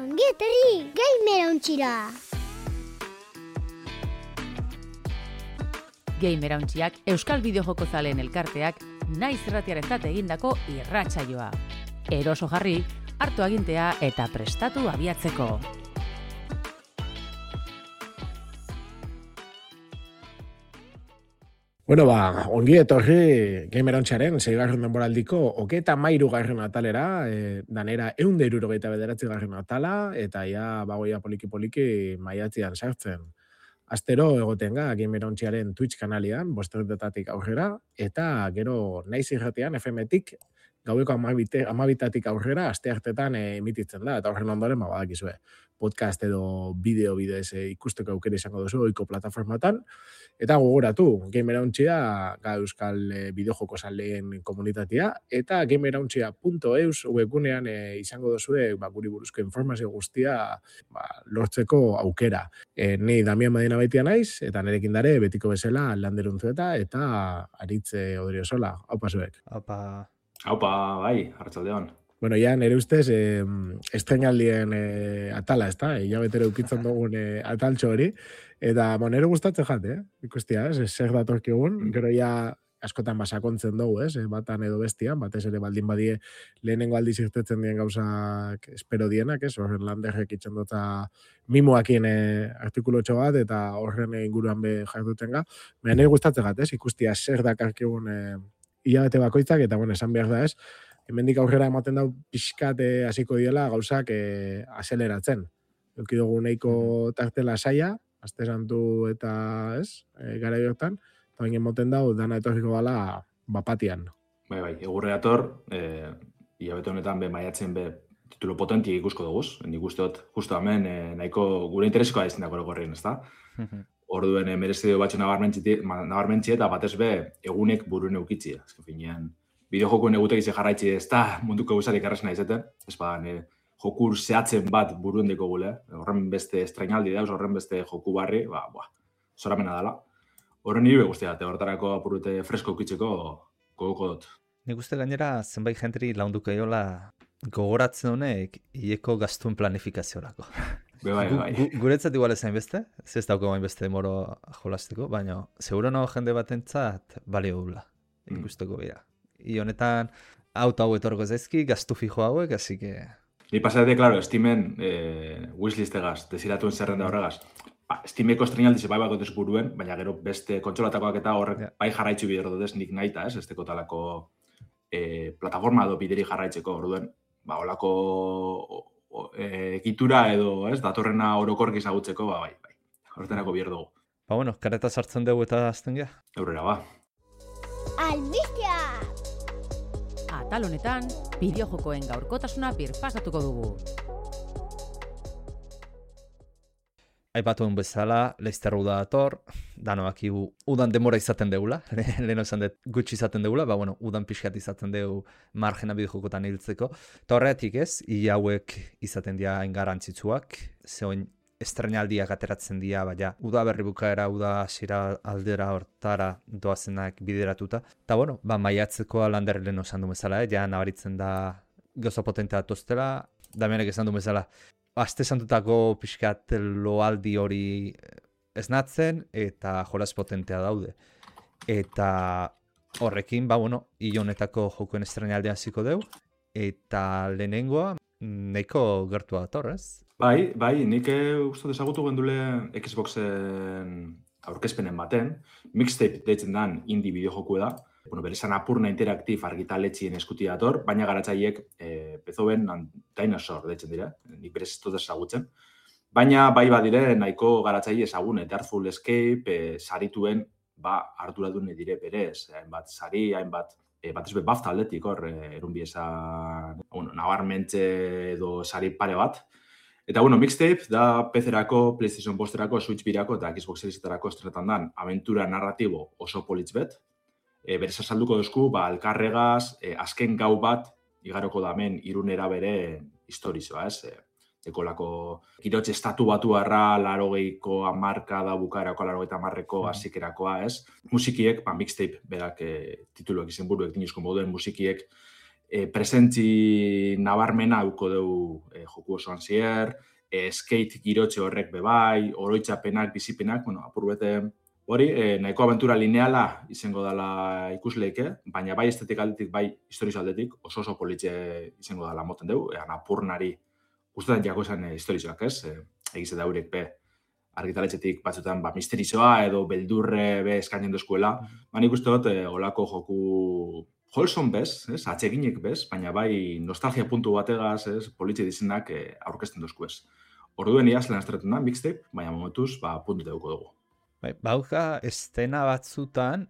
Ongi etorri, Gamerauntxira! Gamerauntxiak Euskal Bideojoko zaleen elkarteak naiz irratiarentzat egindako irratsaioa. Eroso jarri, hartu agintea eta prestatu abiatzeko. Bueno, ongi etorri Gamerauntxaren 6. denboraldiko 33. atalera, danera 169. atala, eta ja bagoia poliki maiatzean sartzen. Astero egoten ga Gamerauntxaren Twitch kanalian, 5:00 aurrera, eta gero naiz irratean FM-tik gaueko 12:00 aurrera asteartetan emititzen da, eta horren ondoren badakizue. Podcast edo bideo bidez ikusteko aukera izango duzu ohiko plataformatan. Eta gogoratu, Gamerauntxia Euskal Bideojoko zaleen komunitatea, eta gamerauntxia.eus webgunean izango duzue guri buruzko informazio guztia lortzeko aukera. Ni Damian Madina Baitia naiz, eta nerekin dare betiko bezala Landeruntzueta eta Aritze Odriozola. Aupa zuek. Aupa, bai, arratsaldeon. Bueno, ja, nire ustez, estrenaldien atala, ez da? Hilabetero ukitzen dugun ataltxo hori. Eta, nire gustatzen jate, ikustia, zer datorkigun. Gero ja askotan basakontzen dugu, batan edo bestian, batez ere baldin badie lehenengo aldiz irtetzen dien gauzak espero dienak, horren Landerrek itxen dota mimoakien artikulotxo bat, eta horren inguruan be jarduten ga. Nire gustatzen jate, ikustia zer dakarkigun hilabete bakoitzak, eta, esan behar da hemendik aurrera ematen dau pixkat hasiko diela gauzak azeleratzen. Euki dugu nahiko tartela saia, aste santu eta gara hortan, eta baina ematen dau dana etorriko gala bapatian. Bai, egurre dator, hilabete honetan maiatzen titulo potentik ikusko duguz. Nik uste dut, justo hemen nahiko gure interesikoa izan dako gorrien, ez da? Orduen merezideo batxo nabarmentzi eta batez egunek buruen eukitzi. Azken finean, bideojokoen egutek izan jarraitzi ez da munduko gauzarik errazena izeten. Ez badan, jokur zehatzen bat buruen deko gule. Horren beste estrainaldi dauz, horren beste joku barri, zoramena dela. Horren nire guztia, horretarako apurute fresko eukitzeko gogoko dut. Nik uste gainera zenbait jenteri launduko eola gogoratzen honek hileko gastuen planifikaziorako. Bai. Guretzat igual ezain beste, ez dauko bain beste demoro jolasteko, baina seguro nago jende batentzat balio dula ikusteko bera. Honetan, hau etorko zaizki, gaztu fijo hauek, así que... Ni pasatik, claro, Steamen wishlistegaz, desiratuen zerrenda horregaz. Steameko estrenaldize bai bakotez buruen, baina gero beste kontsolatakoak eta horrek bai jarraitzu bider dutez nik nahita, ez teko talako plataforma edo bideri jarraitzeko, orduen, holako egitura edo, datorrena orokork izagutzeko, bai. Horretarako bider dugu. Kareta sartzen dugu eta azten gea? Eurera, Albistea! Atal honetan, bideojokoen gaurkotasuna birpasatuko dugu. Aipatuen bezala, Leicester uda dator, danoak udan demora izaten deula, leheno esan dut gutxi izaten deula, udan pixkat izaten deu margena bideojokotan hiltzeko. Eta horretik ez, hauek izaten dira engarantzitsuak, zehoin estrenaldiak ateratzen dira, uda berri bukaera, uda hasiera aldera hortara doazenak bideratuta. Eta maiatzeko Lander leheno esan du bezala, ja nabaritzen da gauza potentea tostela, Damianek esan du bezala, aste santutako pixkat loaldi hori esnatzen eta jolas potentea daude. Eta horrekin, hil honetako jokuen estrenaldean ziko deu, eta lehenengoa nahiko gertua dator, ez? Bai, nik uste desagutu gendule Xboxen aurkezpenen baten, mixtape deitzen dan indie bideojoku da, berezan apurna interaktif argitaletxien eskuti dator, baina garatzaiek Beethoven Dinosaur deitzen dira, nik berez ez dut ezagutzen. Baina bai badire nahiko garatzaile ezagun, Artful Escape, sarituen arduradune dire berez, hainbat sari, hainbat batez BAFTA aldetik hor, erunbiesa nabarmentze edo sari pare bat. Eta mixtape da PC-erako, PlayStation Posterako, Switch birako eta Xbox Seriesetarako estrenetan dan aventura narratibo oso politz bet. Berez azalduko duzku, alkarregaz, azken gau bat, igaroko damen irunera bere historizoa, ez? Ekolako kirotxe estatu batu harra, 80ko hamarka da bukaerako, 80ko hasikerakoa, ez? Musikiek, mixtape berak tituluak izen buruek dinizko moduen musikiek presentzi nabarmena auko dugu joku osoan zier, skate girotxe horrek bebai, oroitzapenak, bizipenak, apur bete hori, nahiko abentura lineala izango dela ikusleike, baina bai estetik aldetik, bai historiz aldetik, oso politxe izango dela moten dugu, apurnari guztetan jako esan historizoak, ez? Egize da hurek be argitaletxetik batzutan misterizoa edo beldurre be eskainen dozkuela, nik uste dut olako joku Holson bez, ez? Atseginek bez, baina bai nostalgia puntu bategaz, ez? Politxe dizenak aurkezten dozku ez. Orduen iaz lehen estretan da, mixtape, baina momentuz, puntu deuko dugu. Bai, bauka estena batzutan,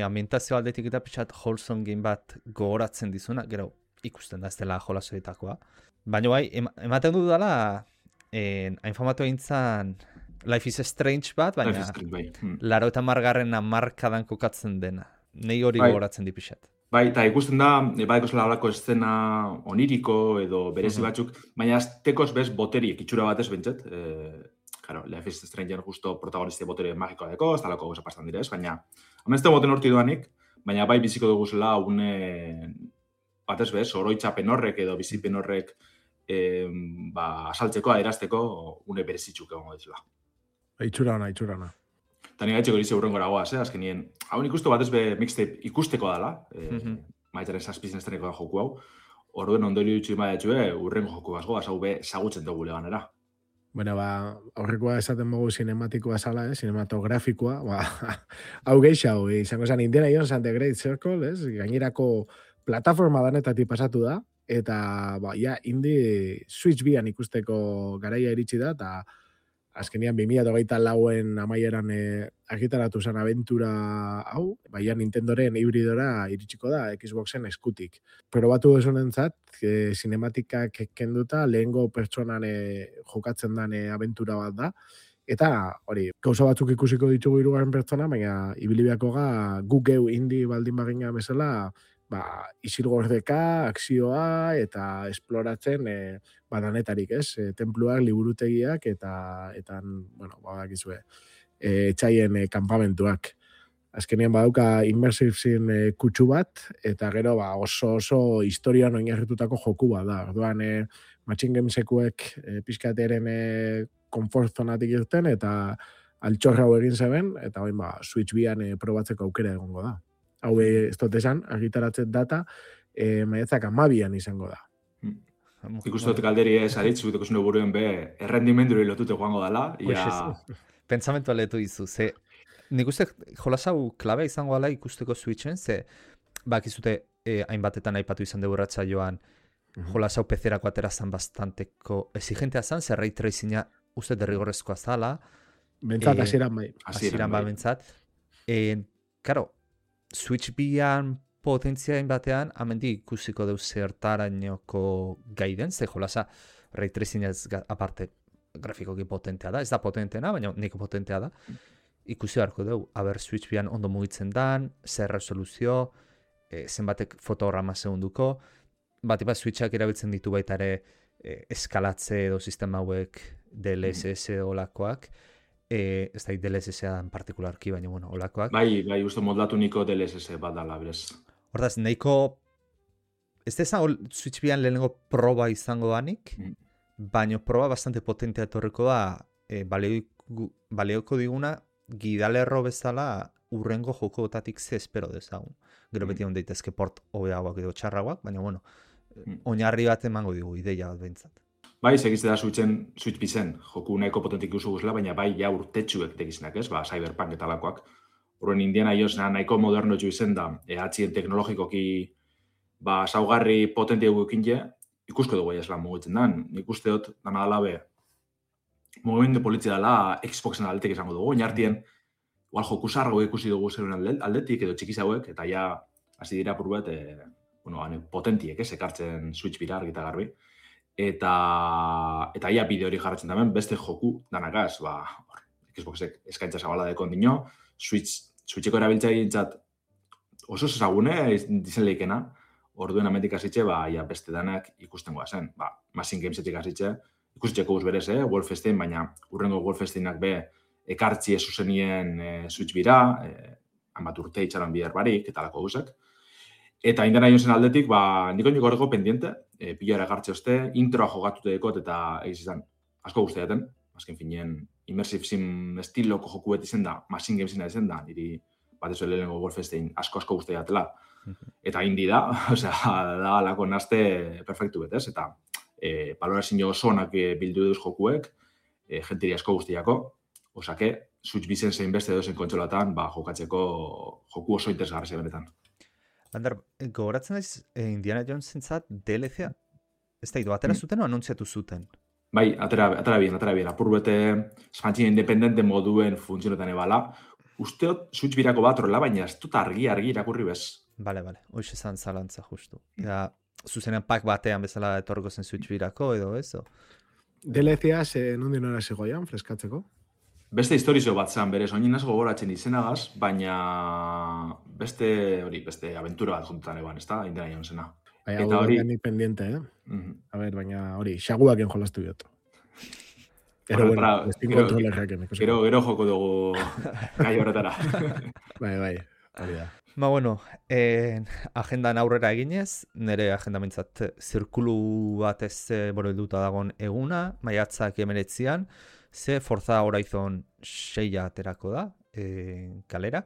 ambientazio aldetik eta pixat Holson game bat gogoratzen dizuna, gero ikusten da ez dela jolasoetakoa. Baina bai, ematen du dela, hain famatu egintzen Life is Strange bat, baina laro eta margarren amarkadan kokatzen dena. Nei hori gogoratzen di pixat. Bai, eta ikusten da, badeko zela holako estena oniriko edo berezi batzuk, baina aztekoz bez boteriek, itxura batez bentzet. Claro, Life is Strange justo protagoniste botere magikoa deko, ez talako goza pastan direz, baina amenzte boten horti duanik, baina bai biziko dugu zela une batez bez, oroitzapen horrek edo bizipen horrek asaltzeko, adierazteko, une berezitzuk egongo dizela. Itxura ona. Eta nire gaitxeko dize urren goragoaz, azkenien. Hau ikustu batez be mixtape ikusteko dala, maitaren zazpizien esteneko da joku hau, orduen ondori dutxu imadatxue urrengo joku bazgo, hau be zagutzen dugu leganera. Bueno, aurrekoa esaten mogu sinematikoa zala, sinematografikoa, hau geixau, izango zen Indiana Jones and the Great Circle, gainerako plataforma danetatik pasatu da, eta indie Switch bian ikusteko garaia iritsi da, eta azkenian 2024en amaieran argitaratu zen abentura hau, baina Nintendoren hibridora iritsiko da Xboxen eskutik. Probatu desonentzat, sinematikak kenduta lehengo pertsonan jokatzen den abentura bat da, eta hori, gauza batzuk ikusiko ditugu hirugarren pertsona, baina ibilibiako guk geu indie baldin bagina bezala, isilgordeka, akzioa eta esploratzen badanetarik, ez? Tenpluak, liburutegiak eta badakizue, etxaien kanpamentuak. Azkenean badauka immersive zin kutsu bat, eta gero oso historian oinarritutako joku bat da. Orduan, Machine Gamesekuek pixkateren comfort zonatik irten, eta altxorra hau egin zeben, eta Switch bian probatzeko aukera egongo da. Hau ez dut esan, argitaratzen data, maiatzak 12an izango da. Ikustu dut galderi ez aritz, guteko zune buruen be, errendimenduri lotute joango dela. Pentsamentu aletu izu, ze nik uste jolasau klabea izango dela ikusteko Switchen, ze bakizute hainbatetan aipatu izan dugu ratsaioan, jolasau PC-erako aterazan bastanteko exigentea zan, zer ray tracinga uste derrigorrezkoa zala. Bentzat, hasieran bai. Hasieran bai, bentzat. Karo, Switch bian potentziain batean, amendi ikusiko deu zertarainoko gaiden, ze jolasa ray tracing ez aparte grafikoki potentea da, ez da potenteena, baina niko potentea da. Ikusi beharko deu, Switch bian ondo mugitzen dan, zer resoluzio, zenbatek fotograma segunduko, bat Switchak erabiltzen ditu baita ere eskalatze edo sistema hauek DLSS olakoak, ez da DLSS-a en partikularki, baina olakoak. Bai, uste modlatu niko DLSS bat dala, berez. Hordaz, nahiko, ez da Switch bian lehenengo proba izango danik, baina proba bastante potentea etorriko da, baleoko diguna, gidalerro bezala urrengo jokotatik ze espero dezagun. Gero beti hon daitezke port hobeagoak edo txarragoak, baina oinarri bat emango digu, ideia bat behintzat. Bai, segizte da Switch bizen, joku nahiko potentik usu guzela, baina bai ja urtetxuek tekizinak ez, Cyberpunk eta lakoak. Horren Indiana Jones nahiko moderno etxu izen da, atxien teknologikoki saugarri potentia guekin ikusko dugu esla mugitzen dan. Nik uste dut, dana dala be, mugimendu polizia dela Xboxen aldetik esango dugu, oinartien, igual joku zarrago ikusi dugu zeruen aldetik edo txikiz hauek, eta ja, hasi dira purbet, potentiek ekartzen Switch bira argita garbi. Eta ia bideo hori jarratzen damen, beste joku danakaz, Xboxek eskaintza zabala dekon dino, Switcheko erabiltza egintzat oso ezagune dizen leikena, orduen ametik hasitxe, ia beste danak ikusten goazen. Machine Gamesetik hasitxe, ikusteko guz berez, Wolfenstein, baina urrengo Wolfensteinak be ekartzi zuzenien Switch bira, hanbat urte itxaran bihar barik, eta lako guzek. Eta Indiana Jonesen aldetik, niko horreko pendiente, pilara gartxe oste, introa jokatute dekot eta egiz izan asko guztiaten, azken finean immersive sim estiloko joku beti zen da, Machine Gamesina zen da, niri bat ez lehenengo Wolfenstein asko guztiatela. Eta indi da, osea, da alako naste perfektu betez, eta balorazio oso onak bildu duz jokuek, jentiri asko guztiako, osake, Switch bizen zein beste dozen kontsolatan, jokatzeko joku oso interesgarri benetan. Ander, gogoratzen naiz Indiana Jones-entzat DLC-a? Ez da, atera zuten o anuntziatu zuten? Bai, atera bien. Apur bete espantzien independente moduen funtzionetan ebala. Usteot Switch birako bat horrela, baina ez dut argi irakurri bez. Bale, hoxe zan zalantza justu. Ja, zuzenean pak batean bezala etorriko zen Switch birako edo ez? DLC-a nondien hora zegoian, freskatzeko? Beste historizio bat zan, berez, oinin asko gogoratzen izenagaz, baina beste aventura bat juntutan eban, ez da, Indiana Jonesena. Baina, eta hori ni pendiente, A ver, baina hori, xaguaken jolastu dut. Gero joko dugu gai horretara. Bai, hori da. Bueno, agendan aurrera eginez, nire agenda mintzat zirkulu bat ez helduta dagon eguna, maiatzak 19an, ze Forza Horizon 6 aterako da, kalera.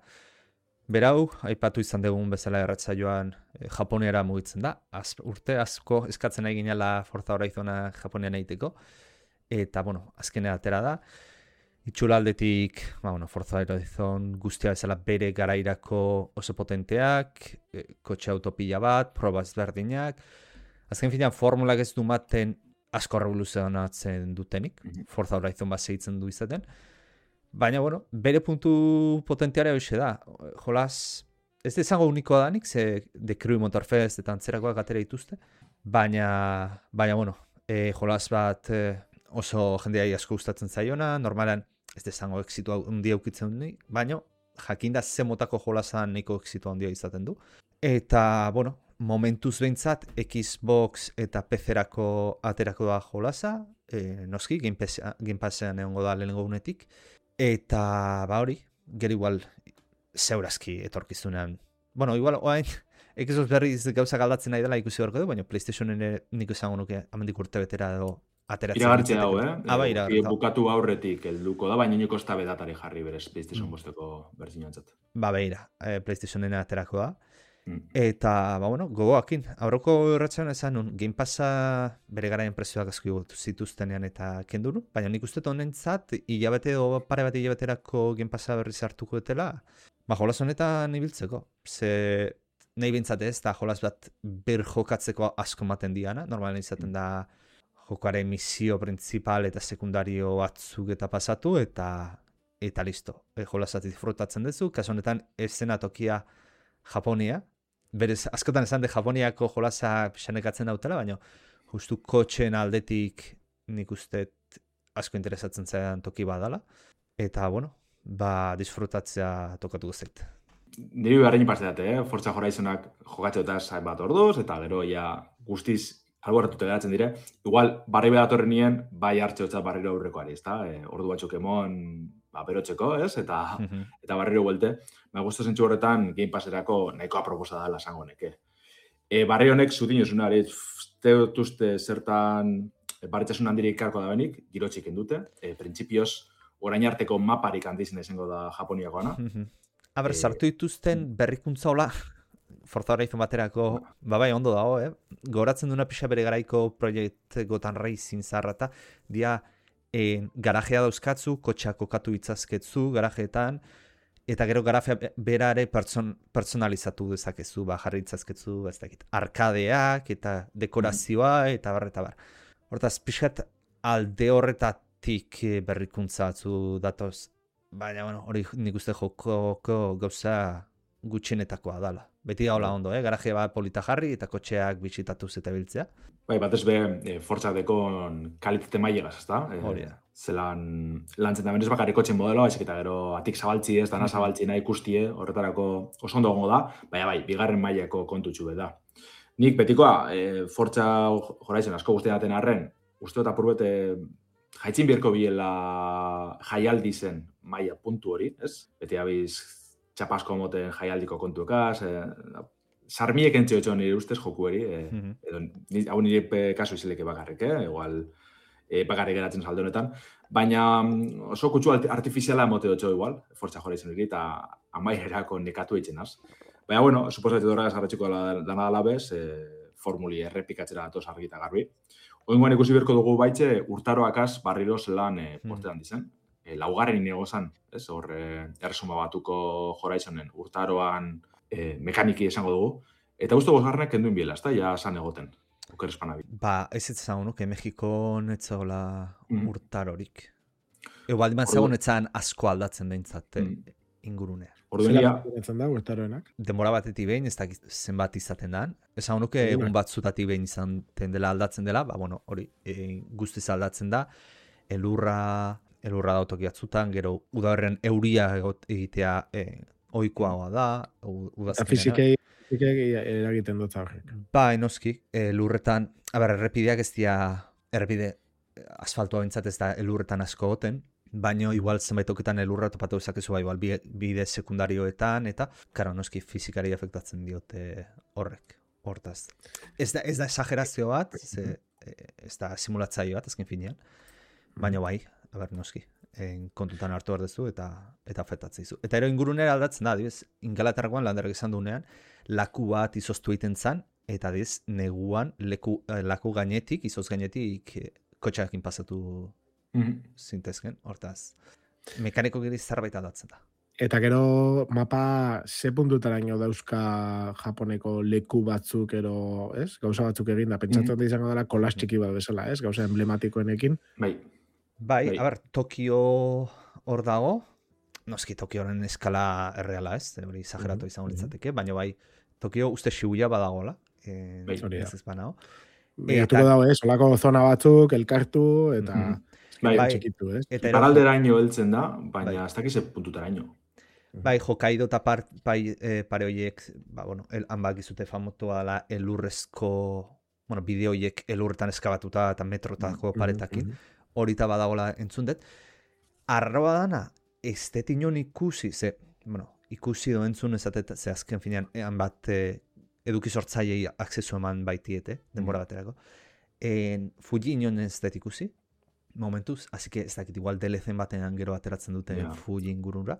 Berau, aipatu izan dugun bezala erratzaioan Japoniara mugitzen da. Urte asko eskatzen nahi ginela Forza Horizona Japonian egiteko. Eta, azkenea atera da. Itxula aldetik, Forza Horizon guztia bezala bere garairako oso potenteak, kotxe autopila bat, proba ezberdinak. Azken finean, formulak ez du maten asko revoluzionatzen dutenik. Forza Horizon bat segitzen du izaten. Baina, bere puntu potenteare hoxe da. Jolas, ez izango unikoa danik, ze The Crew Motorfest eta antzerakoak atera dituzte. Baina, jolas bat oso jendeai asko gustatzen zaiona, normalan ez izango exitua handia ukitzen du, baina jakinda ze motako jolasan nahiko exitua handia izaten du. Eta, momentuz behintzat, Xbox eta PC-erako aterako da jolasa, noski, Game Passean egongo da lehenengo unetik. Eta, hori, gero igual zeurazki etorkizunean. Igual, oain, Xbox berriz gauza galdatzen nahi dela ikusi horko du, baina PlayStationen nik izango nuke amendik urte betera edo ateratzen. Iragartzea dago, iragartzea. Bukatu aurretik helduko da, baina niko esta bedatari jarri berez PlayStation bosteko berzinantzat. Beira, PlayStationen aterako da. Eta, gogoakin, aurroko erratzean esan nun, Game Passa bere garaien prezioak asko zituztenean eta kenduru, baina nik uste honentzat, hilabete edo pare bat hilabeterako Game Passa berriz hartuko etela, jolas honetan ibiltzeko. Ze nahi bintzat ez, da jolas bat ber jokatzeko asko maten diana, normalen izaten da jokoaren misio principal eta sekundario batzuk eta pasatu, eta listo. Jolasat disfrutatzen duzu, kaso honetan esena tokia Japonia, berez, askotan esan de Japoniako jolasa xanekatzen dautela, baina justu kotxen aldetik nik uste asko interesatzen zaidan toki badala. Eta, disfrutatzea tokatu guztiet. Niri beharrein pasetate, Forza Horizonak jokatzeotaz bat orduz, eta gero guztiz alborratute geratzen dire. Igual, barri bedatorren nien, bai hartzeotza barriro aurrekoari, ezta? Ordu batzuk emon berotzeko, ez? Eta barriro buelte. Gustu zentzu horretan, Game Passerako nahikoa proposa dela esango neke. Barri honek zutin osunari, teutuzte zertan barritzasun handirik karko da benik, girotxik endute. Printzipioz, orain arteko maparik handizena izango da Japoniakoana. Sartu dituzten berrikuntza hola, Forza Horizon baterako, bai ondo dago, goratzen duna pixa bere garaiko proiekt Gotham Racing zarrata, dia garajea dauzkatzu, kotxeak kokatu itzazketzu garajeetan, eta gero garajea berare personalizatu dezakezu, jarri itzazketzu, arkadeak, eta dekorazioa, eta bar. Hortaz, pixat alde horretatik berrikuntza atzu datoz, baina, hori nik uste joko gauza gutxenetakoa dala. Beti gaula ondo, garaje bat polita jarri eta kotxeak bisitatuz eta biltzea. Bai, batez be, Forza dekon kalitate mailegaz, ezta? Hori da. Zelan lantzen da benez bakarrik kotxen modeloa, ezik eta gero atik zabaltzi ez, dana zabaltzi nahi ikustie, horretarako oso ondo gongo da, baina bai, bigarren mailako kontutxu da. Nik betikoa, Forza Horizon asko guztien daten arren, uste dut apurbete jaitzin bierko biela jaialdi zen maila puntu hori, ez? Beti abiz txapasko moten jaialdiko kontuekaz, sarmiek entzio etxo nire ustez jokueri, edo hau nire kasu izileke bakarrik, igual bakarrik geratzen saldo honetan, baina oso kutsu artifiziala emote dutxo igual, Forza Horizon hori, eta amaierako nekatu eitzenaz. Baina, bueno, suposatu horregaz garratxiko dana dala bez, formuli errepikatzera datoz argi eta garbi. Oingoan ikusi berko dugu baitxe, urtaroakaz barriro zelan postetan dizen. Laugarren inegozan, ez, hor erresuma batuko Horizonen urtaroan mekaniki esango dugu. Eta guztu gozgarrenak kenduin biela, ez da, ja san egoten. Oker espanabi. Ba, ez ezagun, que Mexikon etzagola urtarorik. Ego baldiman zagun etzan asko aldatzen behintzat ingurunea. Zela da urtaroenak? Denbora batetik behin, ez dakit zenbat izaten dan. Ezagun nuke egun batzutatik behin izaten dela aldatzen dela, ba, bueno, hori, guztiz aldatzen da, elurra da autokiatzutan, gero udaberren euria egitea ohikoagoa da, udazkenera. Fizikei eragiten dut horrek. Ba, enoski, lurretan, errepideak ez dira, errepide asfaltua bintzat ez da elurretan asko goten, baino igual zenbaitoketan elurra topatu dezakezu igual bide sekundarioetan, eta, karo, noski fizikari afektatzen diote horrek, hortaz. Ez da exagerazio bat, ez da simulatzaio bat, ezken finean, baino bai, noski, kontutan hartu behar duzu eta afektatzen dizu. Eta ero ingurunera aldatzen da, adibidez, Ingalaterrakoan landarak izan duenean, laku bat izoztu egiten zan, eta adibidez, neguan laku gainetik, izoz gainetik, kotxeakin pasatu zintezken, hortaz. Mekaniko giri zerbait aldatzen da. Eta gero mapa ze puntutaraino dauzka Japoneko leku batzuk ero, ez? Gauza batzuk egin da, pentsatzen da izango dela kolas txiki bat bezala, ez? Gauza emblematikoenekin. Bai, Tokio hor dago, noski Tokioren eskala erreala, ez? Hori exageratu izango litzateke, baina bai, Tokio uste Shibuya badagoela, ez ez banao. Biatuko dago, ez? Olako zona batzuk, elkartu, eta txikitu, ez? Paralderaino heltzen da, baina ez dakize puntutaraino. Bai, Hokkaido eta pare horiek, hanbak izute famotua dela elurrezko, bideo horiek elurretan eskabatuta eta metrotako paretakin, horita badagola entzun dut. Arroa dana, ez dut inon ikusi, ikusi do entzun ezatet, ze azken finean, hanbat eduki sortzaiei akzesu eman baitiete, denbora baterako. Fuji inon ez dut ikusi, momentuz, así que ez dakit igual DLC-en batean gero ateratzen dute Fuji ingurura.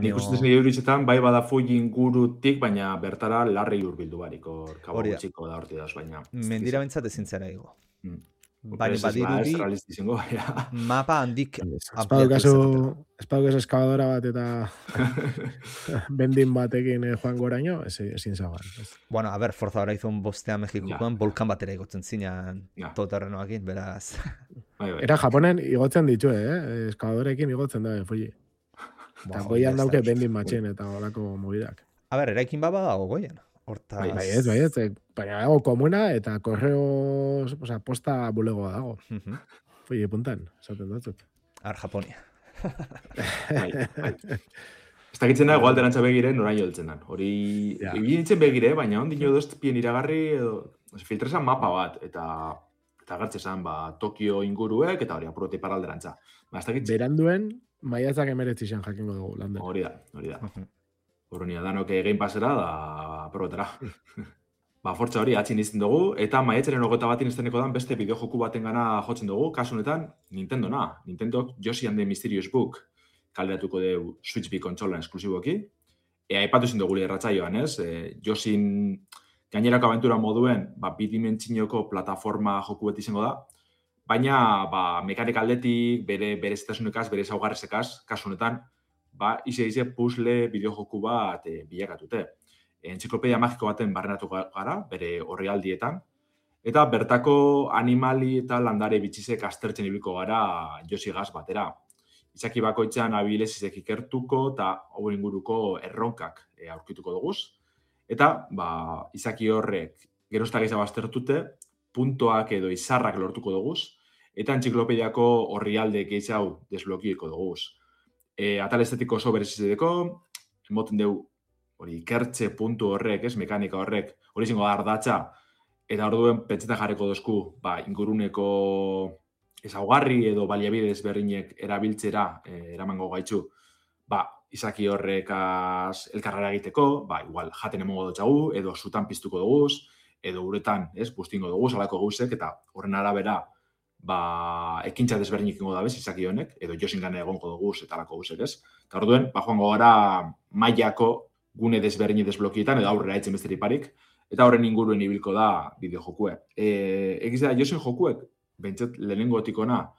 Nik ustez nire uritzetan, bai bada Fuji ingurutik, baina bertara larrei urbildu bariko, kabo gutxiko da horti dauz, baina... Mendira bentsat ezin zera ego. Baina badirudi, mapa handik Espadukas eskabadora bat eta bendin batekin joan goraino, ezin zagoan. Bueno, Forza Horizon bostea Mexikoan volkan batera igotzen zinean toterrenoakin, beraz... Era Japonen igotzen ditu, eskabadorekin igotzen da, Fuji. Eta goian dauke bendin matxen eta olako mobidak. Eraikin baba dago goian. Bai ez, baina dago komuna eta korreo posta bulegoa dago. Fuji puntan, esaten datzut. Japonia. Ez dakitzen da, igual derantza begire noraino heltzen dan. Hori, egin nintzen begire, baina ondino doztpien iragarri, filtrezan mapa bat, eta gartzezan Tokio inguruek, eta hori apurroti paralderantza. Beranduen, maiatzak emeretzizan jakingo dugu landen. Hori da. Horrenia, danok egin pasera da aprobetara. Fortza hori atxin izten dugu, eta maiatzaren 21 izteneko dan beste bideojoku baten gana jotzen dugu, kasu honetan Nintendona. Nintendok Yoshi and the Mysterious Book kalderatuko du Switch B kontsolan esklusiboki. Aipatu zin dugu erratzaioan, ez? Yoshin gainerako aventura moduen bidimentzinoko plataforma joku beti izango da, baina mekanik aldetik, bere zetasunekaz, bere zaugarrezekaz, kasu honetan, ize puzzle bideojoku bat bilakatute. Entziklopedia magiko baten barrenatu gara, bere orrialdietan, eta bertako animali eta landare bitxizek aztertzen ibiliko gara Yoshi gaz batera. Izaki bakoitzan abilezizek ikertuko eta hau inguruko erronkak aurkituko duguz. Eta, izaki horrek gerozta gehiago aztertute, puntoak edo izarrak lortuko duguz, eta entziklopediako orrialde gehiago desblokieko duguz. Atal estetiko oso berezizedeko, emoten dugu hori ikertze puntu horrek, mekanika horrek, hori izango da ardatza, eta orduen pentsetan jarriko dozku, inguruneko ezaugarri edo baliabide ezberdinek erabiltzera eramango gaitzu, izaki horrekaz elkarrara egiteko, igual jaten emongo dutxagu, edo zutan piztuko duguz, edo uretan, bustingo duguz, alako gauzek, eta horren arabera, ekintza desberdinik ingo dabez, izaki honek, edo josingane egongo duguz, eta alako gauzek, Eta orduen, joango gara mailako gune desberdini desblokietan, edo aurrera etzen besterik parik, eta horren inguruen ibilko da bideojokue. Egiz da, josin jokuek, bentsat lehenengotikona,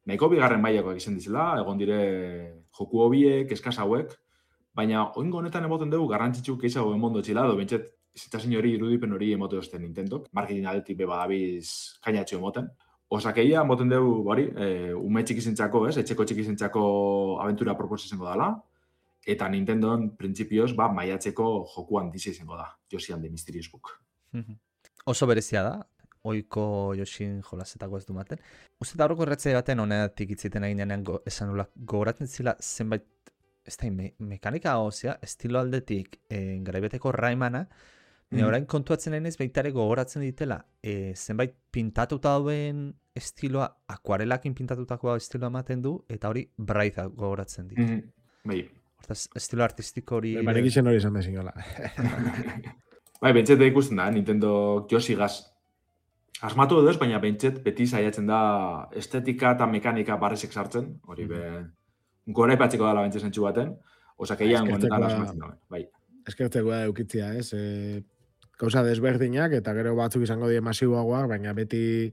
nahiko bigarren mailakoak izan dizela, egon dire joku hobiek, eskaz hauek, baina oingo honetan emoten dugu garrantzitsu keizago emondo txila, edo bentsat zitazin hori irudipen hori emote osten Nintendok, marketing aldetik badabiz kainatxo emoten. Osakeia, emoten dugu, ume txikizentzako, etxeko txikizentzako aventura proposa izango dela, eta Nintendon printzipioz, maiatzeko joku handiz izango da, Yoshian The Mysterious Book. Oso berezia da, oiko Yoshin jolasetako ez du maten. Uste da horreko erretzea baten honetik itziten eginean esan nula, gogoratzen zila zenbait, ez da, mekanika hozia, estilo aldetik garaibeteko Raimana, orain kontuatzen nahi baitare gogoratzen ditela, zenbait pintatuta dauen estiloa, akuarelakin pintatutako estiloa ematen du, eta hori Braiza gogoratzen ditu. Hortaz, estilo artistiko hori... Baina egiten hori izan bezin gola. Bentset ikusten da, Nintendo Yoshigaz asmatu edo ez, baina bentset beti saiatzen da estetika eta mekanika barrezek sartzen, hori gora ipatzeko dala bentset zentsu baten, osakeian honetan asmatzen da. Eskertzeko da eukitzia, Gauza desberdinak, eta gero batzuk izango die masiboagoak, baina beti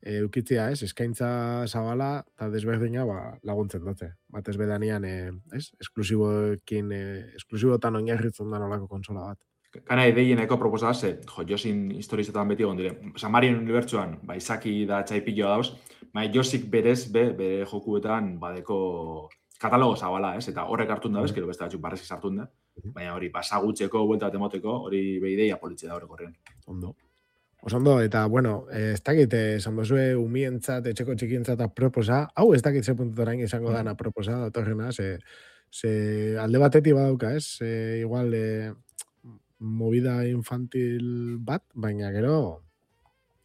eukitzia, eskaintza zabala, eta desberdina laguntzen dute. Batez bedanian, esklusibotan oinarritzen da nolako konsola bat. Kana ideieneko proposa da, Yosin historizetan beti egon dire. Marien unibertsuan, izaki da txaipilloa dauz, Yosik berez, bere jokuetan badeko katalogo zabala, eta horrek hartun da bez, gero beste batzuk barrezki sartun da. Baina hori, pasagutxeko, buelta bat emoteko, hori behideia politxe da horrek horrean. Ondo. Oso eta, ez dakit, esan dozue umientzat, etxeko txikientzat proposa, hau ez dakit ze puntutarain izango dana proposa, datorrena, ze alde batetik badauka, igual, movida infantil bat, baina gero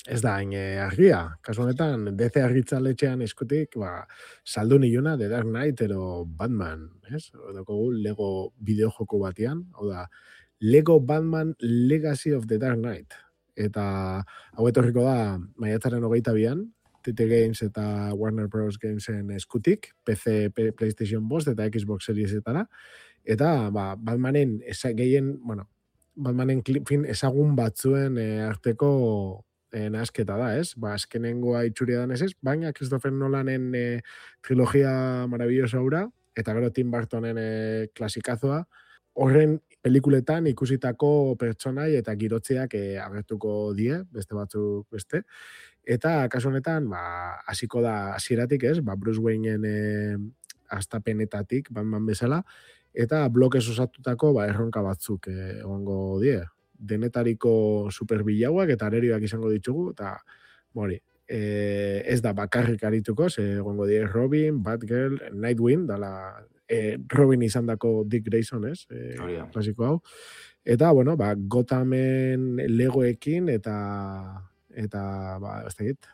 ez da hain argia. Kasu honetan, DC argitzaletxean eskutik, saldu niluna The Dark Knight ero Batman, Odokogu Lego bideojoko batian, hau da, Lego Batman Legacy of the Dark Knight. Eta hau etorriko da maiatzaren 22an, TT Games eta Warner Bros. Gamesen eskutik, PC, PlayStation 5 eta Xbox Seriesetara, eta Batmanen Batmanen ezagun batzuen arteko nasketa da, azkenengoa itxuria dan ez, baina Christopher Nolanen trilogia maravillosa hura, eta gero Tim Burtonen klasikazoa, horren pelikuletan ikusitako pertsonai eta girotzeak agertuko die, beste batzuk beste, eta kasu honetan, hasiko da hasieratik Bruce Wayneen astapenetatik, Batman bezala, eta blokez osatutako erronka batzuk egongo die. Denetariko superbilauak eta arerioak izango ditugu, eta ez da bakarrik arituko, egongo die Robin, Batgirl, Nightwing, dala Robin izan dako Dick Grayson, klasiko hau. Eta, Gothamen Legoekin eta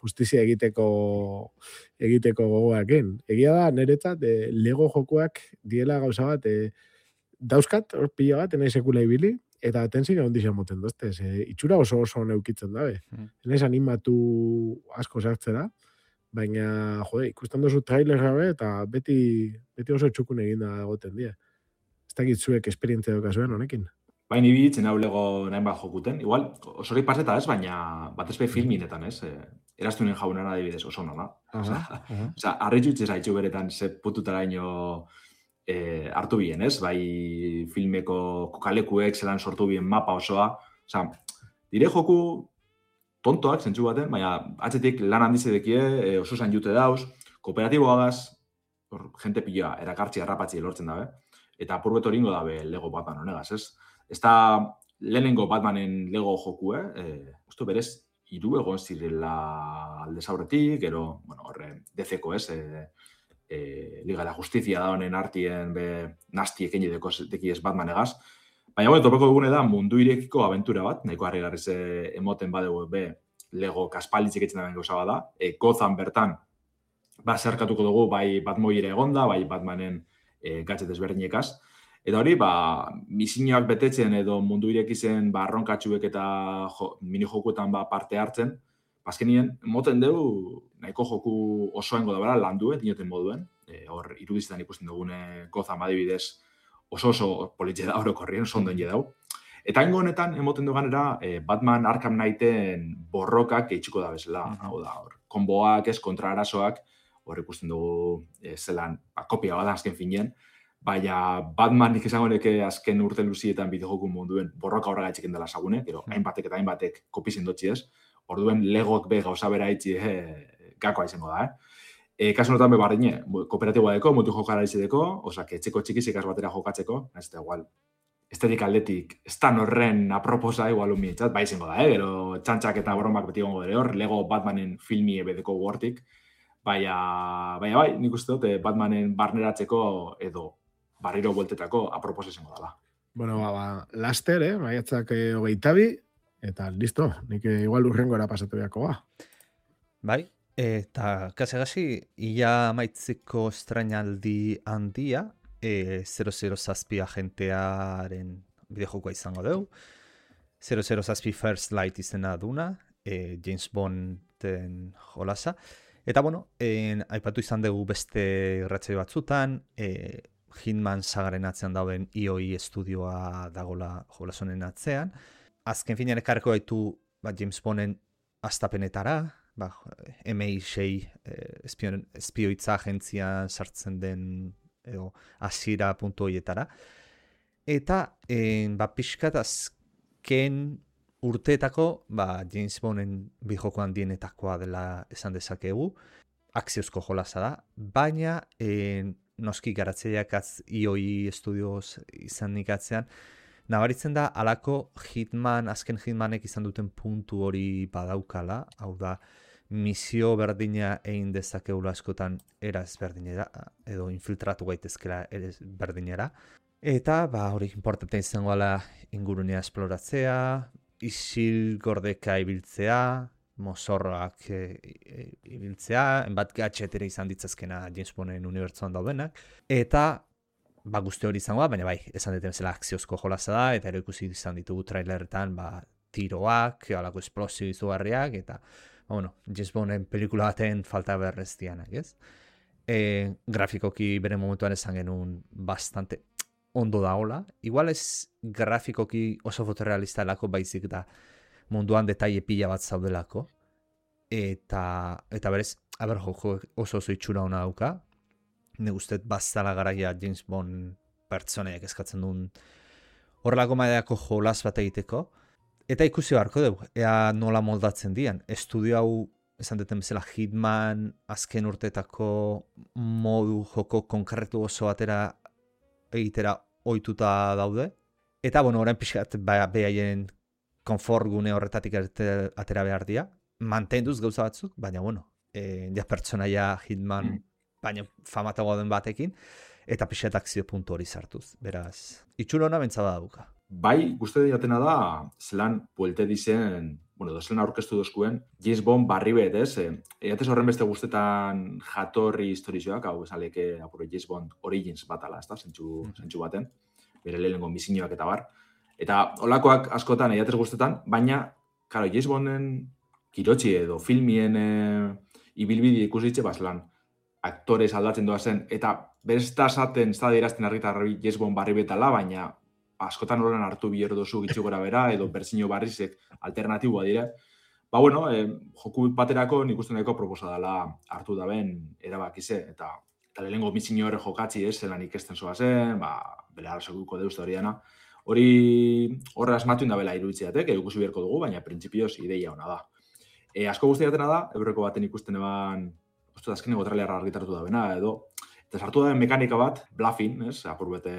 justizia egiteko gogoakin. Egia da, niretzat, Lego jokoak diela gauza bat, dauzkat, hor pila bat, enai sekula ibili, eta tensik egon dixan moten doztez. Itxura oso neukitzen dabe. Enaiz animatu asko sartzera, baina, ikusten dozu trailerra be, eta beti oso txukun eginda egoten die. Ez dakit zuek esperientzia dokazuen honekin. Baina ibitzen hau Lego nahin bat jokuten. Igual, osori paseta ez, baina batez be filminetan ez. Eraztunen jaunan adibidez oso nona. Osa, arritxutxe zaitxu beretan ze pututara ino hartu bien, ez? Bai filmeko kokalekuek zelan sortu bien mapa osoa. Osa, dire joku tontoak zentzu baten, baina atzetik lan handizedekie oso zain jute dauz, kooperatiboa gaz, jente piloa, erakartzi harrapatzi lortzen dabe, eta apurbet horingo dabe Lego Batman honegaz, ez? Ez da lehenengo Batmanen Lego joku, uste berez, 3 egon zirela aldez aurretik, gero, horre, DC-ko, ez? Liga da Justizia da honen artien nasti ekeini dekiez Batman egaz. Baina, topeko dugune da mundu irekiko aventura bat, nahiko harrigarriz emoten badegu Lego kaspalitzik etzen da gauza bada. Gotham bertan, zerkatuko dugu bai Batmoire egonda, bai Batmanen gatxet ezberdinekaz. Eta hori, misioak betetzen edo mundu irekizen arronkatxuek eta mini-jokuetan parte hartzen, azkenien, moten dugu nahiko joku osoengo da bera landuen, dinoten moduen. Hor, irudizetan ikusten dugune Gotham adibidez oso politxe da orokorrien, oso ondoen jedau. Eta ingo honetan, emoten duganera, Batman Arkham Knighten borrokak eitxiko da bezala. Hau da, hor, konboak, kontra arazoak, hor ikusten dugu zelan, kopia bada azken finean, baina Batmanik izango neke azken urte luzietan bideojoku munduen borroka horrega etxiken dela sagune, gero hainbatek eta hainbatek kopizien dotzi ez, orduen legok be gauza bera itxi gakoa izango da, kasu notan be bardine, kooperatiboa deko, mutu jokara izideko, osak, etxeko txikizik batera jokatzeko, ez da igual, estetik aldetik, ez da norren aproposa igual umietzat, bai izango da, gero txantxak eta bromak beti gongo dere hor, Lego Batmanen filmi ebedeko wortik, baina bai, nik uste dut Batmanen barneratzeko edo barriro bueltetako aproposa izango dela. Bueno, laster, maiatzak 22, eta listo, nik igual urrengora pasatu beharko ba. Bai, eta kasi ia maitzeko estrainaldi handia, 007 agentearen bideojokoa izango dugu. 007 First Light izena duna, James Bonden jolasa. Eta bueno, aipatu izan dugu beste irratsaio batzutan, Hitman sagaren atzean dauden IOI estudioa dagola jolasonen atzean. Azken finean ekarreko gaitu James Bonden astapenetara, MI6 espioitza agentzian sartzen den edo hasiera.hoietara. Eta pixkat azken urteetako James Bonden bijoko handienetakoa dela esan dezakegu. Akziozko jolasa da, baina noski garatzeiak IOI Studios izan ikatzean, nabaritzen da alako azken Hitmanek izan duten puntu hori badaukala, hau da, misio berdina egin dezakeula askotan era ezberdinera, edo infiltratu gaitezkela ere berdinera. Eta hori importante izango ala ingurunea esploratzea, isil gordeka ibiltzea, mozorroak ibiltzea, enbat gatxetere izan ditzazkena James Bonden unibertsuan daudenak, eta guzti hori izango da, baina bai, esan duten zela akziozko jolasa da, eta ero ikusi izan ditugu trailerretan tiroak, alako esplosio izugarriak, eta James Bonden pelikula baten falta berrez dianak, ez? Grafikoki bere momentuan esan genuen bastante ondo daola. Igual ez grafikoki oso fotorealista lako baizik da munduan detaile pila bat zaudelako. Eta berez, joko oso itxura hona dauka. Ne guztet bazala garaia James Bond pertsonaiak eskatzen duen horrelako maideako jolas bat egiteko. Eta ikusi beharko dugu, ea nola moldatzen dian. Estudio hau, esan duten bezala, Hitman azken urteetako modu joko konkretu oso batera egitera ohituta daude. Eta, orain pixkat behaien konfort gune horretatik atera behar dira. Mantenduz gauza batzuk, baina, ja pertsonaia Hitman, baina famatagoa den batekin, eta pixkat akzio puntu hori sartuz. Beraz, itxura hona bentsaba dauka. Bai, guzti jatena da, zelan puelte dizen, zelan aurkeztu dozkuen, James Bond barri bet, ez? Eatez horren beste guztetan jatorri historizoak, hau esan leke apuro James Bond Origins batala, ez da, zentsu baten, bere lehenengo misioak eta bar. Eta olakoak askotan eatez guztetan, baina, karo, James Bonden kirotxi edo filmien ibilbide ikusitxe, zelan aktorez aldatzen doa zen, eta berezta esaten, ez da dirazten argitarri James Bond barri betala, baina askotan horren hartu bihero dozu gitxu gora bera, edo berzino barrizek alternatiboa dire. Joku baterako nik uste nahiko proposa dela hartu daben erabakize, eta lehenengo mitzino horre jokatzi ez, zelan ikesten zoa zen, bere arrazokuko deuzte hori dena. Horre asmatu indabela iruditzeatek, ikusi beharko dugu, baina printzipioz ideia hona da. Asko guztiatena da, eureko baten ikusten eban, azkeneko trailerra argitaratu da bena, edo, eta sartu da mekanika bat, bluffing, ez, apur bete,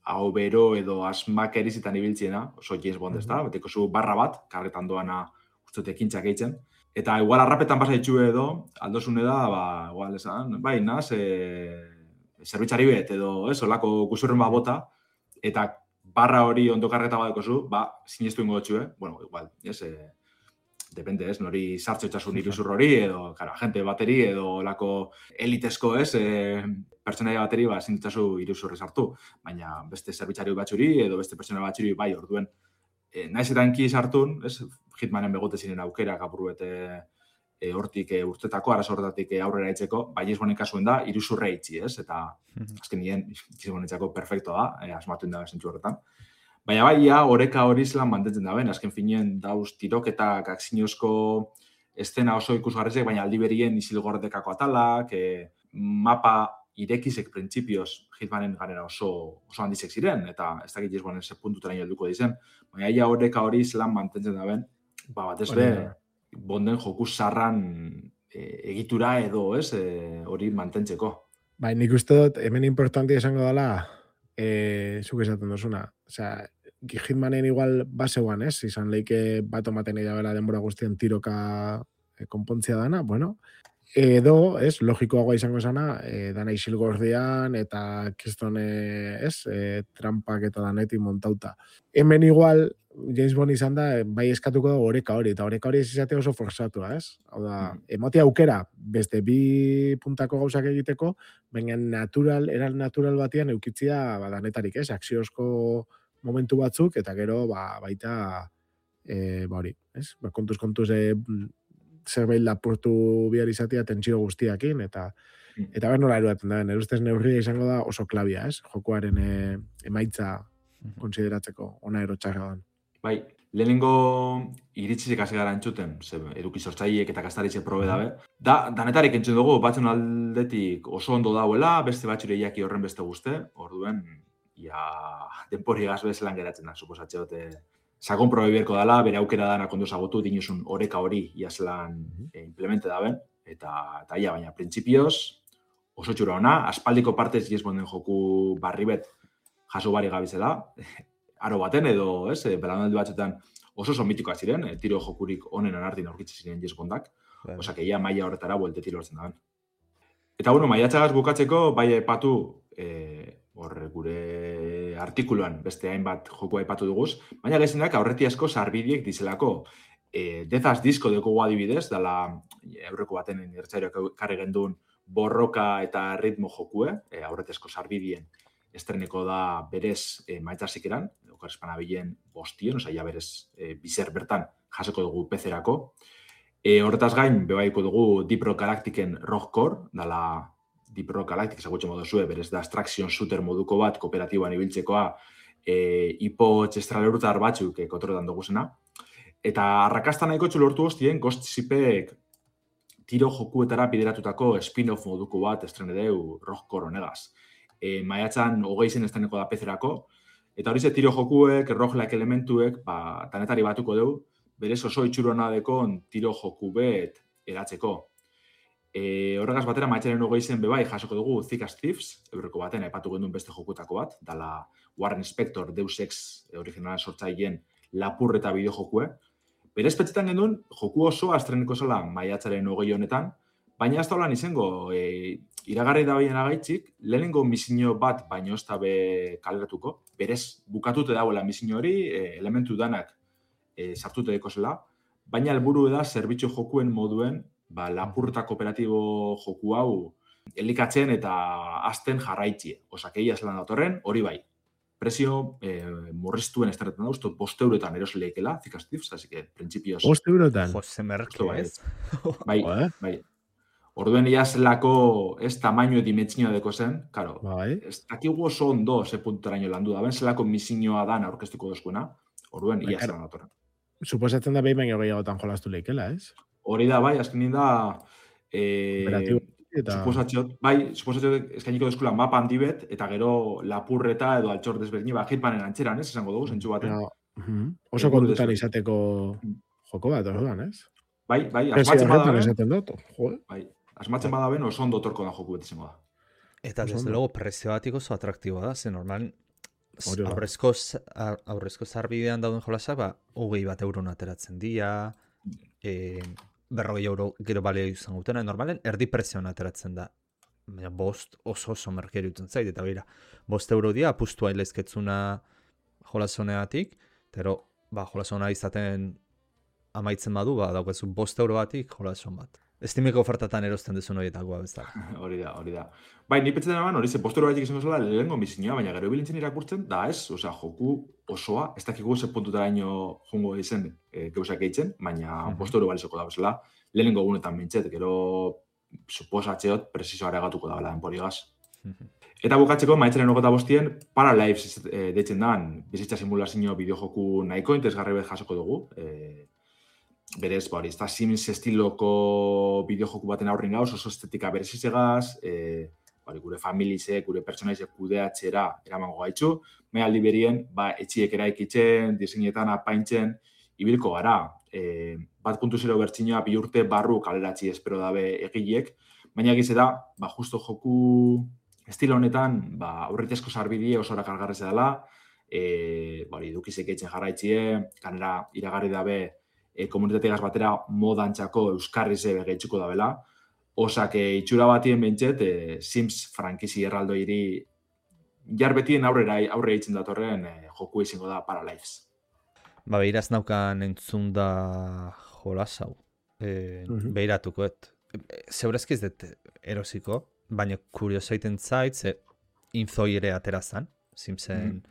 hau bero edo asmak erizitan ibiltziena, oso James Bond ez da, beteko zu barra bat, karretan doana ustut ekintzak eitzen. Eta igual arrapetan pasa itxu edo, aldosune da, igual esan, naz, zerbitzari bet edo, olako guzurren bat bota, eta barra hori ondo karreta bat dekozu, sinestu ingo txue, igual, depende, nori sartzo itxasun iruzur hori, edo, agente bateri, edo olako elitezko, pertsonaia bateri ezin ditzazu iruzurrez hartu, baina beste zerbitzari batzuri edo beste pertsona batzuri bai, orduen naiz eta enki sartun, ez, Hitmanen begote ziren aukerak apur bete hortik urtetako, arazo horretatik aurrera itzeko, bai Gisbonen kasuen da, iruzurre itxi, ez? Eta azken nien Gisbonetzako perfecto da, asmatu da zentzu horretan. Baina bai, oreka hori zelan mantentzen da ben, azken finien dauz tiroketak, akzinozko estena oso ikusgarrizek, baina aldi berien isilgordekako atalak, mapa irekizek printzipioz Hitmanen ganera oso handizek ziren, eta ez dakit Gisbonen ze puntuteraino helduko dizen, baina oreka hori zelan mantentzen da ben, batez be, bonden joku zarran egitura edo, ez, hori mantentzeko. Bai, nik uste dut, hemen importantia esango dela, zuk esaten duzuna. Osea, Hitmanen igual baseuan, ez? Izan leike bat omaten egia bela denbora guztien tiroka konpontzia dana, bueno. Edo, ez, logikoagoa izango esana, dana isilgordean eta kistone, ez, trampak eta danetik montauta. Hemen igual, James Bond izan da, bai eskatuko da oreka hori, eta oreka hori ez izate oso forzatua, ez? Hau da, emote aukera, beste bi puntako gauzak egiteko, baina eran natural batian eukitzia danetarik, ez? Akziozko momentu batzuk, eta gero, baita, hori, ez? Kontuz, zerbait lapurtu bihar izatea tentsio guztiakin, eta behar nola eruaten da, nire ustez neurria izango da oso klabia, ez? Jokoaren emaitza konsideratzeko, ona erotxarra dan. Bai, lehenengo iritzizek hasi gara entzuten, eduki sortzaileek eta kastaritze probe dabe. Danetarik entzun dugu, batzun aldetik oso ondo dauela, beste batxure jaki horren beste guzte, orduen, denpori gaz bezelan geratzen da, suposatxe dute. Sakon probe bierko dela, bere aukera dana kondo zagotu, dinuzun oreka hori iazlan implemente daben, eta baina printzipioz, oso txura ona, aspaldiko partez Gisbonden joku barri bet jaso bari gabizela, aro baten edo, ez, belanaldi batzuetan oso mitikoak ziren, tiro jokurik onen anartin aurkitzen ziren Gisbondak, osak maila horretara buelteti lortzen daben. Eta bueno, maiatzagaz bukatzeko, bai aipatu, gure artikuluan beste hainbat joku aipatu duguz, baina gezenak aurreti asko sarbidiek dizelako. Dezaz disko dugu adibidez, dala aurreko baten irtzairo karri gendun borroka eta ritmo jokue, aurreti asko sarbidien estreneko da berez maitzasik eran, okarespana bilen bostien, oza, ja berez bizer bertan jaseko dugu PC-erako. Horretaz gain, bebaiko dugu Deep Rock Galacticen Rogue Core, dala Deep Rock Galactic ezagutzen modu zue, berez da abstraction shooter moduko bat, kooperatiboan ibiltzekoa, ipotx estralerrutar batzuk kontroletan duguzena. Eta arrakasta nahiko txulortu hostien, Ghost Shipek tiro jokuetara bideratutako spin-off moduko bat estrenedeu Rogue Core honegaz. Maiatzan 20 estreneko da PC-erako, eta hori ze tiro jokuek, roguelike elementuek, tanetari batuko dugu, berez oso itxurona dekon tiro joku bet eratzeko. Horregaz batera, maiatzaren 20 bebai jasoko dugu Thick as Thieves, eurreko baten aipatu gendun beste jokutako bat, dala Warren Spector, Deus Ex originala sortzaileen lapur eta bideo jokue. Berez petxetan gendun, joku oso astreneko zela maiatzaren 20 honetan, baina ez da holan izango, iragarri da behien agaitzik, lehenengo misinio bat baino ez da be kaleratuko, berez bukatute dauela misinio hori, elementu danak sartute deko zela, baina helburu da zerbitzu jokuen moduen, lapurta kooperatibo joku hau elikatzen eta azten jarraitzie. Osak egia zelan datorren, hori bai. Prezio murriztuen estarretan da, uste 5 eurotan erosleikela, Thick as Thieves, así que printzipioz... 5 eurotan? Jose Merke, ez? Bai. Orduen zelako ez tamaino dimentsioa deko zen, karo, ez dakigu oso ondo ze punturaino landu da, ben zelako misinioa dan aurkeztuko dozkuena, orduen ia zelan datorren. Suposatzen da behin baino gehiagotan jolastu leikela, ez? Hori da, bai, azkenin da... Suposatxot eskainiko dezkula mapa handi bet, eta gero lapurreta edo altxor desberdini, Hitmanen antxeran, ez? Esango dugu, zentsu baten. Oso kontutan izateko joko bat, orduan, ez? Bai, asmatzen badaben. Bai, asmatzen badaben oso ondo torko da joku bet izango da. Eta desde luego prezio batik oso atraktiboa da, ze normal aurrezko zarbidean dauden jolasak, 20 euron ateratzen dira, 40 euro gero balea izan gutena, normalen erdi prezioan ateratzen da. Baina 5 oso merkeri utzen zait, eta bera, 5 euro dia apustua ilezketzuna jolasoneatik, pero jolasona izaten amaitzen badu, daukazu 5 euro batik jolason bat. Steameko ofertatan erosten duzun horietakoa bezala. Hori da. Bai, ni pentsatzen eman, hori ze postura batik izango zela lehengo misinua, baina gero bilintzen irakurtzen, da ez, osea, joku osoa, ez dakigu ze puntutaraino jungo izen geusak eitzen, baina posturu balizoko da bezala, lehenengo egunetan mintxet, gero suposatzeot presizo aregatuko da bela denporigaz. Eta bukatzeko, maitzaren 25 Paralives deitzen dan, bizitza simulazio bideojoku nahiko interesgarri bet jasoko dugu. Berez, hori, ez da Sims estiloko bideojoku baten aurrin gauz, oso estetika berezizegaz, gure familizek, gure pertsonaizek kudeatzera eramango gaitzu, aldi berien, etxiek eraikitzen, diseinetan apaintzen, ibilko gara. 1.0 bertxinoa 2 urte barru kaleratzi espero dabe egileek, baina egize da, justo joku estilo honetan, aurritezko sarbidie oso erakargarrez dela, edukizek eitzen jarraitzie, kanera iragarri dabe komunitateagaz batera modantxako euskarrize begeitzuko dabela, osak itxura batien bentset, Sims frankizi erraldo iri jarbetien aurre eitzen datorren joku izango da Paralives. Behiraz naukan entzun da jolas hau. Behiratukoet. Zeurezki ez dut erosiko, baina kuriosaiten zait, ze infoi ere aterazan, Simsen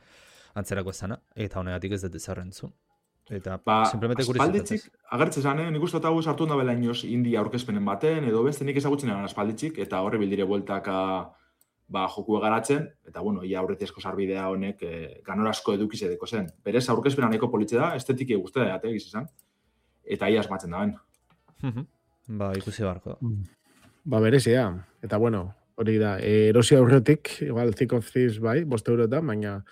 antzerako ezana, eta honegatik ez dut ezarrentzun. Eta simplemente kuriositatzez. Agertze zan, nik uste hau sartu da bela inoz Indie aurkezpenen baten, edo beste nik ezagutzen egan aspalditzik, eta horre bildire bueltaka joku garatzen, eta ia aurretezko sarbidea honek ganorazko edukiz edeko zen. Berez aurkezpena nahiko politxe da, estetiki guztia da, egiz izan, eta ia asmatzen da ben. Ikusi barko. Berezia, eta hori da, erosia aurretik, igual Thick of Thieves bai, 5 eurotan, baina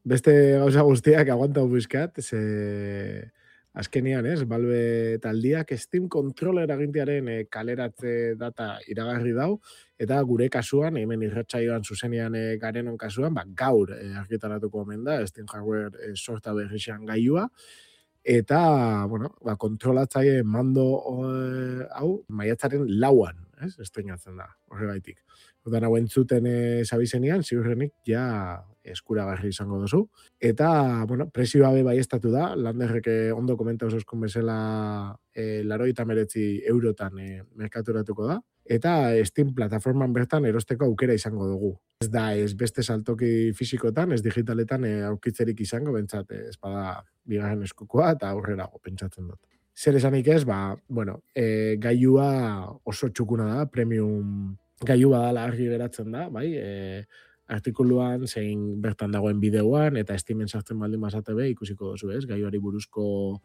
beste gauza guztiak aguantau bizkat, ze azkenian, Valve taldiak Steam Controller agintearen kaleratze data iragarri dau, eta gure kasuan, hemen irratsaioan zuzenean garenon kasuan, gaur argitaratuko omen da, Steam Hardware sorta berrixan gaiua, eta, kontrolatzaile mando hau, maiatzaren 4an, estrenatzen da, horregaitik. Odan hau entzuten zabizenean, ziurrenik ja eskuragarri izango duzu. Eta, presioa bai estatu da, Landerrek ondo komentauz euskun bezala 89 eurotan merkaturatuko da. Eta Steam plataforman bertan erosteko aukera izango dugu. Ez da, ez beste saltoki fisikotan, ez digitaletan aukitzerik izango, bentsat, ez bada bigarren eskukoa eta aurrerago pentsatzen dut. Zer esanik ez, gaiua oso txukuna da, premium gailua dala argi geratzen da, bai, artikuluan, zein bertan dagoen bideoan, eta Steamen sartzen baldin bazate be, ikusiko duzu, gaiuari buruzko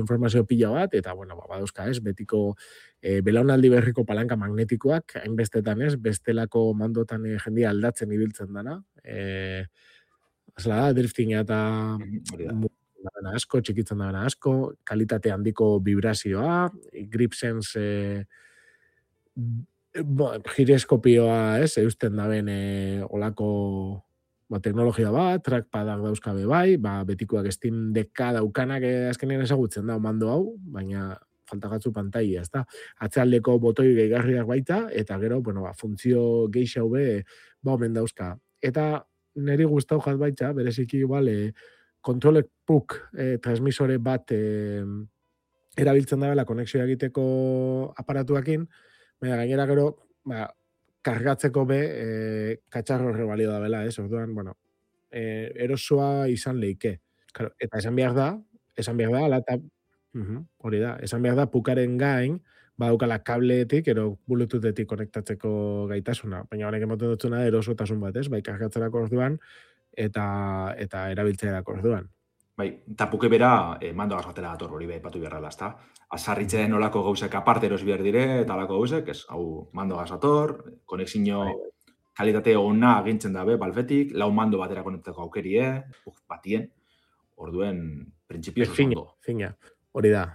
informazio pila bat, eta, badauzka, betiko belaunaldi berriko palanka magnetikoak, hainbestetan bestelako mandotan jendia aldatzen ibiltzen dana, da, driftinga eta asko, txikitzen da asko, kalitate handiko vibrazioa, grip sense gireskopioa, eusten daben olako teknologia bat, trackpadak dauzkabe bai, betikoak Steam Decka daukanak azkenean ezagutzen da mando hau, baina faltagatzu pantaila, ez da. Atzealdeko botoi gehigarriak baita, eta gero, funtzio geixau be, omen dauzka. Eta niri gustau jat baita, bereziki igual, kontrolek PUK transmisore bat erabiltzen dabela konexioa egiteko aparatuakin, baina gainera gero, kargatzeko be, katxarro horre balio da bela, orduan, erosoa izan leike. Claro, eta esan behar da, hori da, esan behar da, pukaren gain, badaukala kableetik, ero bluetoothetik konektatzeko gaitasuna. Baina honek emoten dutzuna erosotasun bat, bai kargatzerako orduan, eta erabiltzeerako orduan. Bai, eta puke bera mando gazbatera dator hori patu beharrela, ezta? Azarritzen olako gauzek aparte eros behar dire, eta olako gauzek, hau mando gazator, konexio kalitate ona agintzen dabe, Valvetik, 4 mando batera konektako aukerie, batien, orduen, printzipioz oso. Fina, hori da.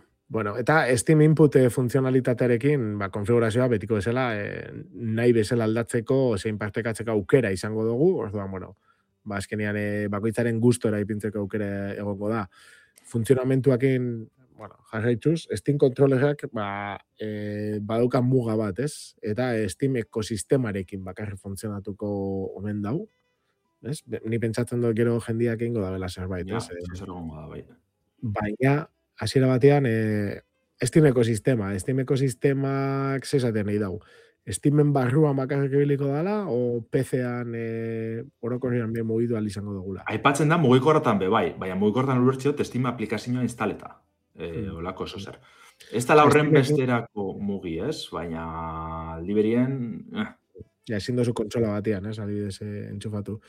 Eta Steam Input funtzionalitatearekin, konfigurazioa betiko bezala, nahi bezala aldatzeko, zein partekatzeko aukera izango dugu, orduan, azkenean bakoitzaren gustora ipintzeko aukera egongo da. Funtzionamentuakin, jarraitzuz, Steam Controllerak badauka muga bat, ez? Eta Steam ekosistemarekin bakarri funtzionatuko omen dau. Ni pentsatzen dut gero jendiak ingo da bela zerbait, ez? Zer egongo da, bai. Baina, hasiera batean, Steam ekosistemak zezaten nahi dau. Steamen barruan bakarrik ibiliko dala, o PC-an orokorrean bien mugitu izango dugula. Aipatzen da mugikorretan bai, baina mugikorretan ulertziot Steam aplikazioa instaleta. Olako oso zer. Ez da horren besterako mugi, ez? Baina aldiberien... Ja, ezin dozu kontsola batean, ez? Adibidez entxufatu.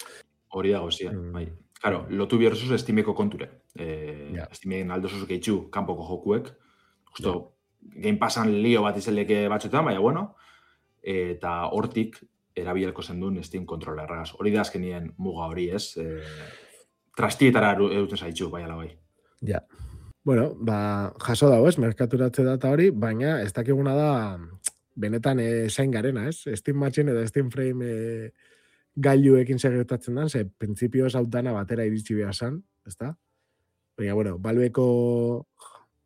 Hori dago zian, bai. Claro, lotu bierrezuz Steameko konture. Steamen aldozuz gehitxu kanpoko jokuek. Justo, Game Passan lio bat izeleke batzuetan, baina bueno, eta hortik erabielko zendun Steam kontrolerragaz. Hori da azkenien muga hori, ez? Trastietara eduten zaitxu, bai ala bai. Ja. Bueno, jaso dago, ez? Merkaturatze data hori, baina ez dakiguna da benetan zain garena, ez? Steam Machine eta Steam Frame gailuekin segertatzen dan, ze printzipioz hau dana batera iritsi behar zan, ezta? Baina, bueno, Valveko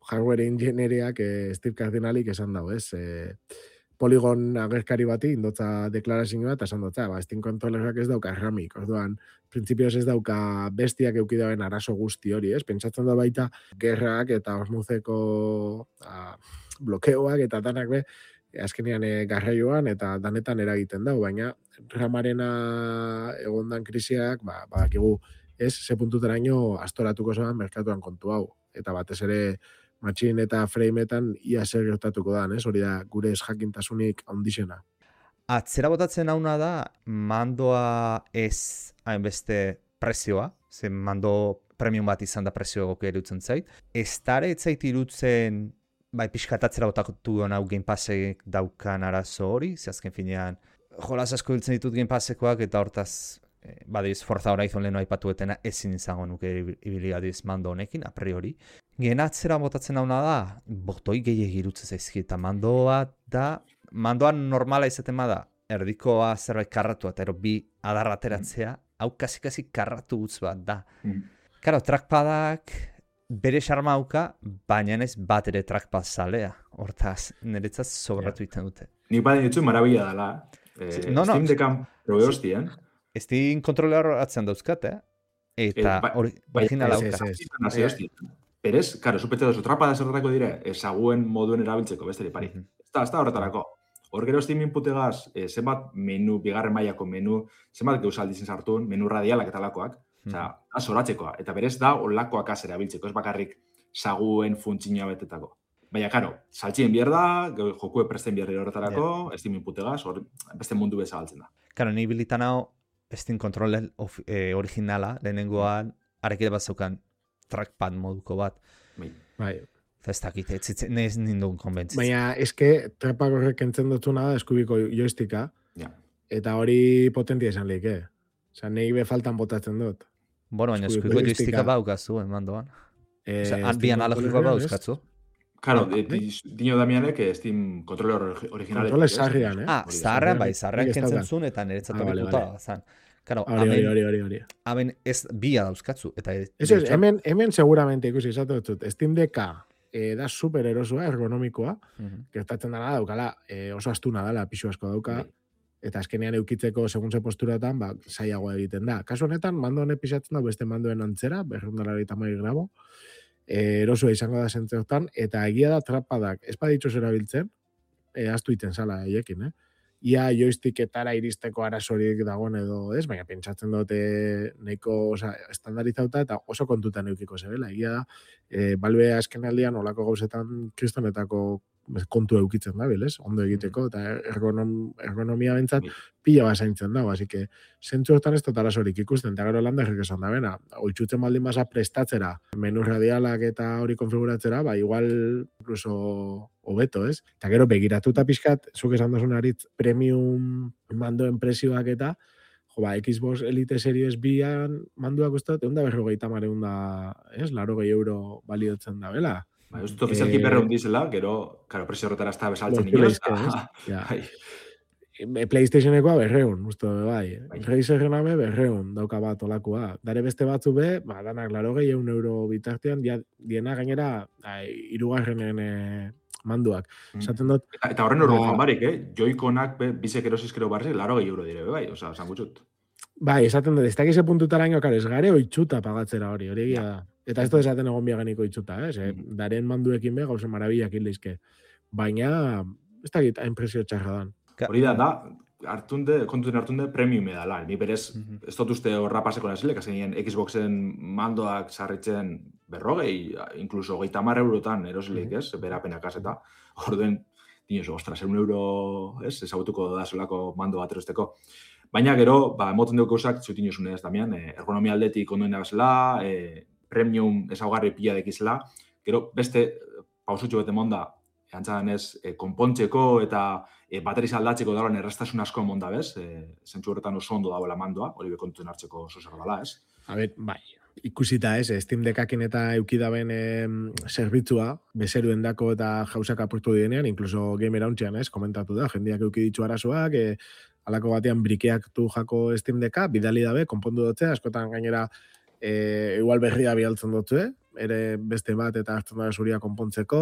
hardware engineeriak Steve Cardinalik esan dago, ez? Polygon agerkari bati indotza deklarazioa eta esan dutza, Steam kontrolerak ez dauka erramik, orduan, printzipioz ez dauka bestiak eukidaben arazo guzti hori, ez? Pentsatzen da baita gerrak eta osmuzeko blokeoak eta danak be, azkenean garraioan eta danetan eragiten dau, baina ramarena egondan krisiak, badakigu, ez, ze puntuteraino astoratuko zoan merkatuan kontu hau. Eta batez ere Machine eta Frameetan ia zer gertatuko da, ez? Hori da gure ezjakintasunik handixena. Atzera botatzen hauna da, mandoa ez hainbeste prezioa, ze mando premium bat izan da prezio egokia irutzen zait. Ez dara etzait irutzen, bai, pixkat atzera botatu hau Game Passek daukan arazo hori, ze azken finean, jolas asko hiltzen ditut Game Passekoak, eta hortaz, badiz, Forza Horizon lehenu aipatuetena ezin izango nuke ibiliadiz mando honekin, a priori. Gen atzera botatzen hauna da, botoi gehiagi irutzen zaizki, eta mandoan normala izaten bada, erdikoa zerbait karratua, eta ero bi adarra ateratzea, hau kasi karratu gutz bat da. Karo, trackpadak bere xarma hauka, baina ez bat ere trackpad zalea. Hortaz, niretzat sobratu iten dute. Nik baden ditzu marabila dela. Steam Deckan probe hostien. Steam kontroler atzen dauzkat, eta original hauka. Perez, karo, supetze dozu, trapada zerretako dire, ezaguen moduen erabiltzeko, besteri pari. Ez da horretarako. Hor gero Steam inputegaz, zenbat menu, bigarren mailako menu, zenbat geuz aldizin sartun, menu radialak eta lakoak, zoratzekoa. Eta berez da, olakoak az erabiltzeko, ez bakarrik saguen funtzioa betetako. Baina, karo, saltxien bier da, jokue presten bierri horretarako, Steam inputegaz, beste mundu bezagaltzen da. Karo, ni bilitan hau, Steam Controller originala, lehenengoan, arekide bat zeukan trackpad moduko bat. Bai. Ez dakit, ez nindun konbentzitzen. Baina, eske, trackpad horrek entzen dutuna da, eskubiko joysticka, eta hori potentia izan lehik, Osa, nahi be faltan botatzen dut. Bueno, baina eskubiko joysticka baukazu, mandoan. Bi analogikoa bauzkatzu. Claro, dino Damianek Steam kontrole originale. Kontrole sarrian, Sarrian, bai, sarrian kentzen zuen, eta niretzat abituta zan. Claro, hori. Hemen ez bia dauzkatzu. Eso es, hemen seguramente ikusi izatu dut. Steam Decka da super erosua, ergonomikoa, gertatzen dara daukala, oso astuna dela, pixu asko dauka, eta azkenean eukitzeko segun ze posturatan, zailagoa egiten da. Kasu honetan, mando honek pisatzen da beste mandoen antzera, 280 gramo, erosua izango da zentzeotan, eta egia da trapadak, ez baditxos erabiltzen, astu iten zala eiekin, Ia joysticketara iristeko arazorik dagoen edo ez, baina pentsatzen dute nahiko estandarizauta eta oso kontutan eukiko zebela. Egia da, Valve azken aldian olako gauzetan kristonetako kontu eukitzen da, bilez? Ondo egiteko, eta ergonomia bentsat pila bazaintzen dago, así que zentzu hortan ez dut arazorik ikusten, eta gero landarrik esan da bena, oitzutzen baldin baza prestatzera, menu radialak eta hori konfiguratzera, igual incluso hobeto, ez? Eta gero begiratuta pixkat, zuk esan dozun aritz, premium mandoen prezioak eta, Xbox Elite Series Bian manduak uste, 150 ez? 80 euro baliotzen da, bela? Ez dut ofizialki berreun dizela, gero, karo, presio horretara ez da besaltzen inoz. PlayStationekoa 200, uste, bai. Razerrena be 200 dauka bat olakoa. Dare beste batzu be, danak 80 euro bitartean, diena gainera, hirugarrenen manduak. Esaten dut... Eta horren horren joan barik, Joy-Conak bizek erosizkero barri, 80 euro dire, bai, oza, esan gutxut. Bai, esaten dut, ez dakize puntutaraino, karo, ez gare oitxuta pagatzera hori egia da. Eta ez da esaten egon biaganiko oitxuta, daren manduekin be, gauza marabilak leizke. Baina, ez dakit, hainpresio txarra dan. Hori da, kontuten hartunde premium edala. Ni berez, ez dut uste horra paseko nazilek, azkenien Xboxen mandoak sarritzen 40, inkluso 30 eurotan erosleik, ez? Berapenak eta orduen, dinoso, ostras, €1, ez? Ezagutuko da solako mando bat erosteko. Baina gero, emoten dugu gauzak, zutin josunez, Damian, ergonomia aldetik ondoen nabezela, premium ezaugarri pila dekizela, gero beste pausutxo bete monda, antzadan ez, konpontzeko eta bateriz aldatzeko dauren erraztasun asko monda, bez? Zentzu horretan oso ondo dagoela mandoa, hori bekontuen hartzeko oso zer dala, ez? Bai, ikusita ez, Steam Deckekin eta eukidaben zerbitzua, bezeruen dako eta jauzak apurtu direnean, incluso Gamer Hauntzean, ez, komentatu da, jendeak euki ditu arazoak, alako batean brikeak du jako Steam Decka, bidali dabe, konpondu dutze, askotan gainera igual berria bialtzen dutze, ere beste bat eta hartzen da zuria konpontzeko,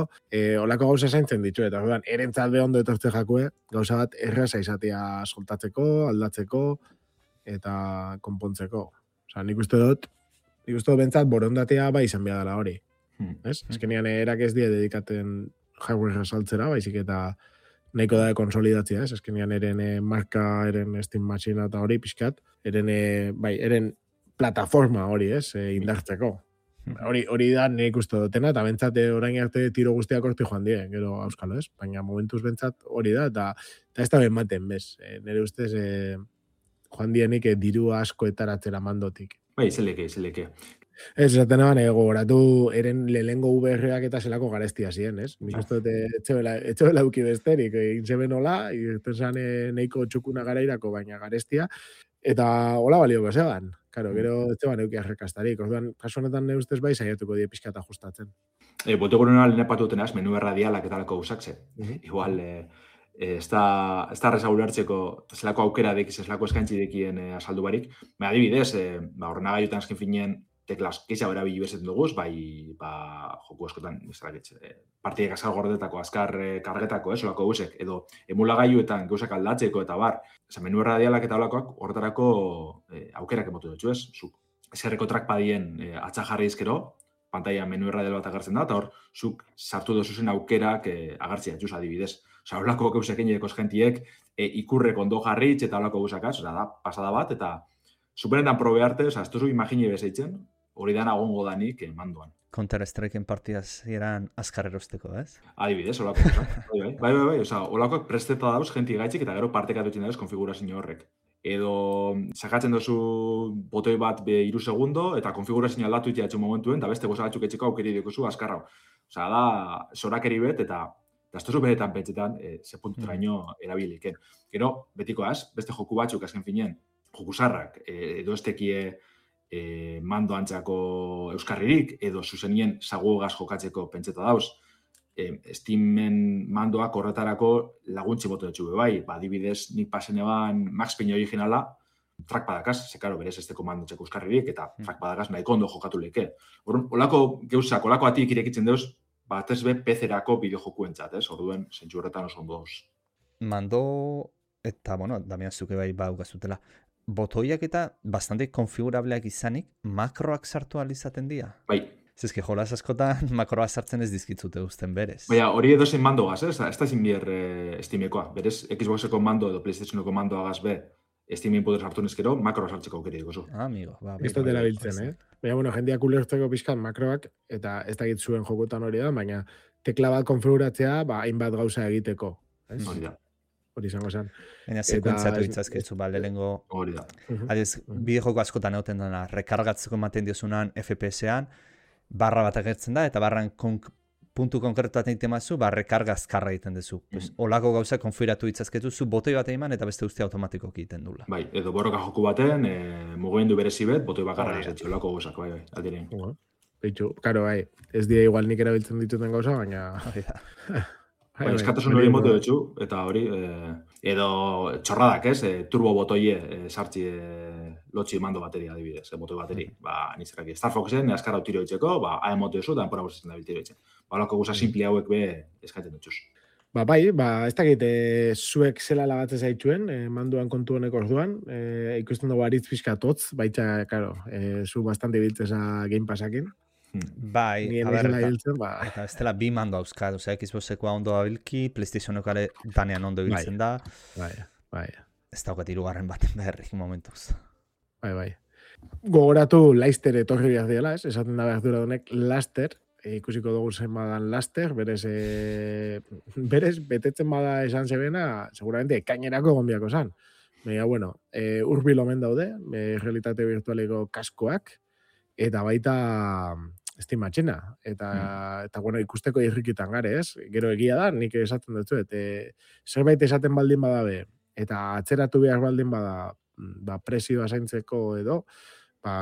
olako gauza zaintzen ditu, eta orduan, erentzat be ondo etortze jakue, gauza bat erraza izatea soltatzeko, aldatzeko, eta konpontzeko. Osa, nik uste dut bentsat borondatea bai izan behar dela hori. Azkenean erak ez die dedikaten hardware saltzera, baizik eta nahiko da konsolidatzea, ez? Azkenean eren marka, eren Steam Machine eta hori pixkat, eren plataforma hori, ez? Indartzeko. Hori da nik uste dutena, eta bentsat orain arte tiro guztiak horti joan die, gero auskalo, ez? Baina momentuz bentsat hori da, eta ez da benmaten, bez? Nire ustez joan dienik diru asko etaratzera mandotik. Bai, zeleke. Ez, esaten eban, gogoratu eren lehengo VR-ak eta zelako garestia ziren, ez? Nik uste dut etxebela duki besterik, intzeben hola, irten zan neiko txukuna garairako, baina garestia, eta hola balioko zeban. Karo, gero etxeban euki arrekastarik. Orduan, kasu honetan ne ustez bai, saiatuko die pixka eta ajustatzen. Boteko nena lehen patuten menu erradialak eta lako usakze. Igual, ez da reza ulertzeko zelako aukera dekiz, zelako eskaintzi dekien asaldu barik. Adibidez, horrena gaiutan azken finien teklas keixa bera bilu bezetan duguz, joku askotan, partiek azkar gordetako, azkar kargetako, solako guzek, edo emulagailuetan gauzak aldatzeko eta bar, menu erradialak eta olakoak horretarako aukerak emotu dutxu, ez? Zuk eskerreko trackpadien atza jarri izkero, pantailan menu erradial bat agertzen da, eta hor, zuk sartu dozuzen aukerak agertzea, juz adibidez. Osa, holako gauzekin edeko eskentiek ikurrek ondo jarritz eta holako gauzakaz, da, pasada bat, eta superetan probe arte, ez duzu imagine bezeitzen, hori dan agongo danik manduan. Counter-Strikeen partidaz eran azkar erosteko, ez? Adibidez, holako. Bai, holakoak presteta dauz, jenti gaitzik, eta gero partekatutzen dauz konfigurazio horrek. Edo sakatzen duzu botoi bat 3 segundo, eta konfigurazio aldatu itxatxo momentuen, eta beste goza batzuk etxeko aukeri dikozu azkarra. Osa, da, zorakeri bet, eta ez duzu beretan pentsetan, ze punturaino erabiliken. Gero, betikoaz, beste joku batzuk azken finien, joku zarrak, edo estekie mando antzako euskarririk, edo zuzenien zaguegaz jokatzeko pentseta dauz. Steamen mandoak horretarako laguntzi boto dutxu bai, adibidez nik pasen eban Max Payne originala, trackpadakaz, zekaro berez esteko mandotzeko euskarririk, eta trackpadakaz nahiko ondo jokatu leke. Olako geuzak, olako atik irekitzen deuz, batez be PC-erako bideojokuentzat, ez? Orduen, zentsu horretan oso ondo dauz. Mando, eta, Damian zuke bai baugazutela, botoiak eta bastante konfigurableak izanik, makroak sartu alizaten dira? Bai. Zezke, jolaz askotan makroa sartzen ez dizkitzute uzten berez. Baina, hori edo zen mando gaz, ez da zinbier Steamekoa. Berez, Xboxeko mando edo PlayStationeko mandoa gaz be, Steamen poder sartu neskero, makroa sartzeko aukeri dikozu. Amigo. Ez dut erabiltzen, Baina, jendeak ulertzeko pixkan makroak, eta ez dakit zuen jokotan hori da, baina tekla bat konfiguratzea, hainbat gauza egiteko. Hori da. Hori izango zen. Baina sekuentziatu ditzazkitzu, lehenengo... Hori da. Adiz, bidejoko askotan egoten dena, rekargatzeko ematen diozunan FPS-ean, barra bat agertzen da, eta barran puntu konkretu bat egiten mazu, rekarga azkarra egiten duzu. Olako gauza konfiguratu ditzazketu, zu botoi bat eman, eta beste guztia automatikoki egiten dula. Bai, edo borroka joku baten, mugimendu berezi bet, botoi bakarra ezetxe, olako gauzak, bai, aldirein. Betxu, karo, bai, ez dira igual nik erabiltzen dituten gauza, baina... Bai, eskatasun hori motu dutxu, eta hori, edo txorradak, ez, turbo botoie sartzi lotxi mando bateria adibidez, botoi bateri. Nizeraki, Star Foxen, azkara utiro ditzeko, haen motu duzu, da enpora bostetzen da biltiro ditzen. Olako guza simpli hauek be eskatzen dutxuz. Bai, ez dakit, zuek zela lagatzen zaituen, manduan kontu honek orduan, ikusten dugu aritz pixkat hotz, baita, karo, zu bastante biltzeza Game Passakin. Bai, Ni a ber, emezela hiltzen, eta ez dela bi mando hauzkat, osea, Xboxekoa ondo abilki, PlayStationokare danean ondo ibiltzen da. Bai. Ez daukat hirugarren baten beharrik momentuz. Bai. Gogoratu Leicester etorri behar diela, ez? Esaten da behar dura honek Laster, ikusiko dugu zen badan Laster, berez betetzen bada esan zebena, seguramente ekainerako gombiako zan. Baina, bueno, urbil omen daude, realitate virtualeko kaskoak, eta baita Steam matxina. Eta bueno, ikusteko irrikitan gare, ez? Gero egia da, nik esaten dut, zerbait esaten baldin badabe, eta atzeratu behar baldin bada, presioa zaintzeko edo,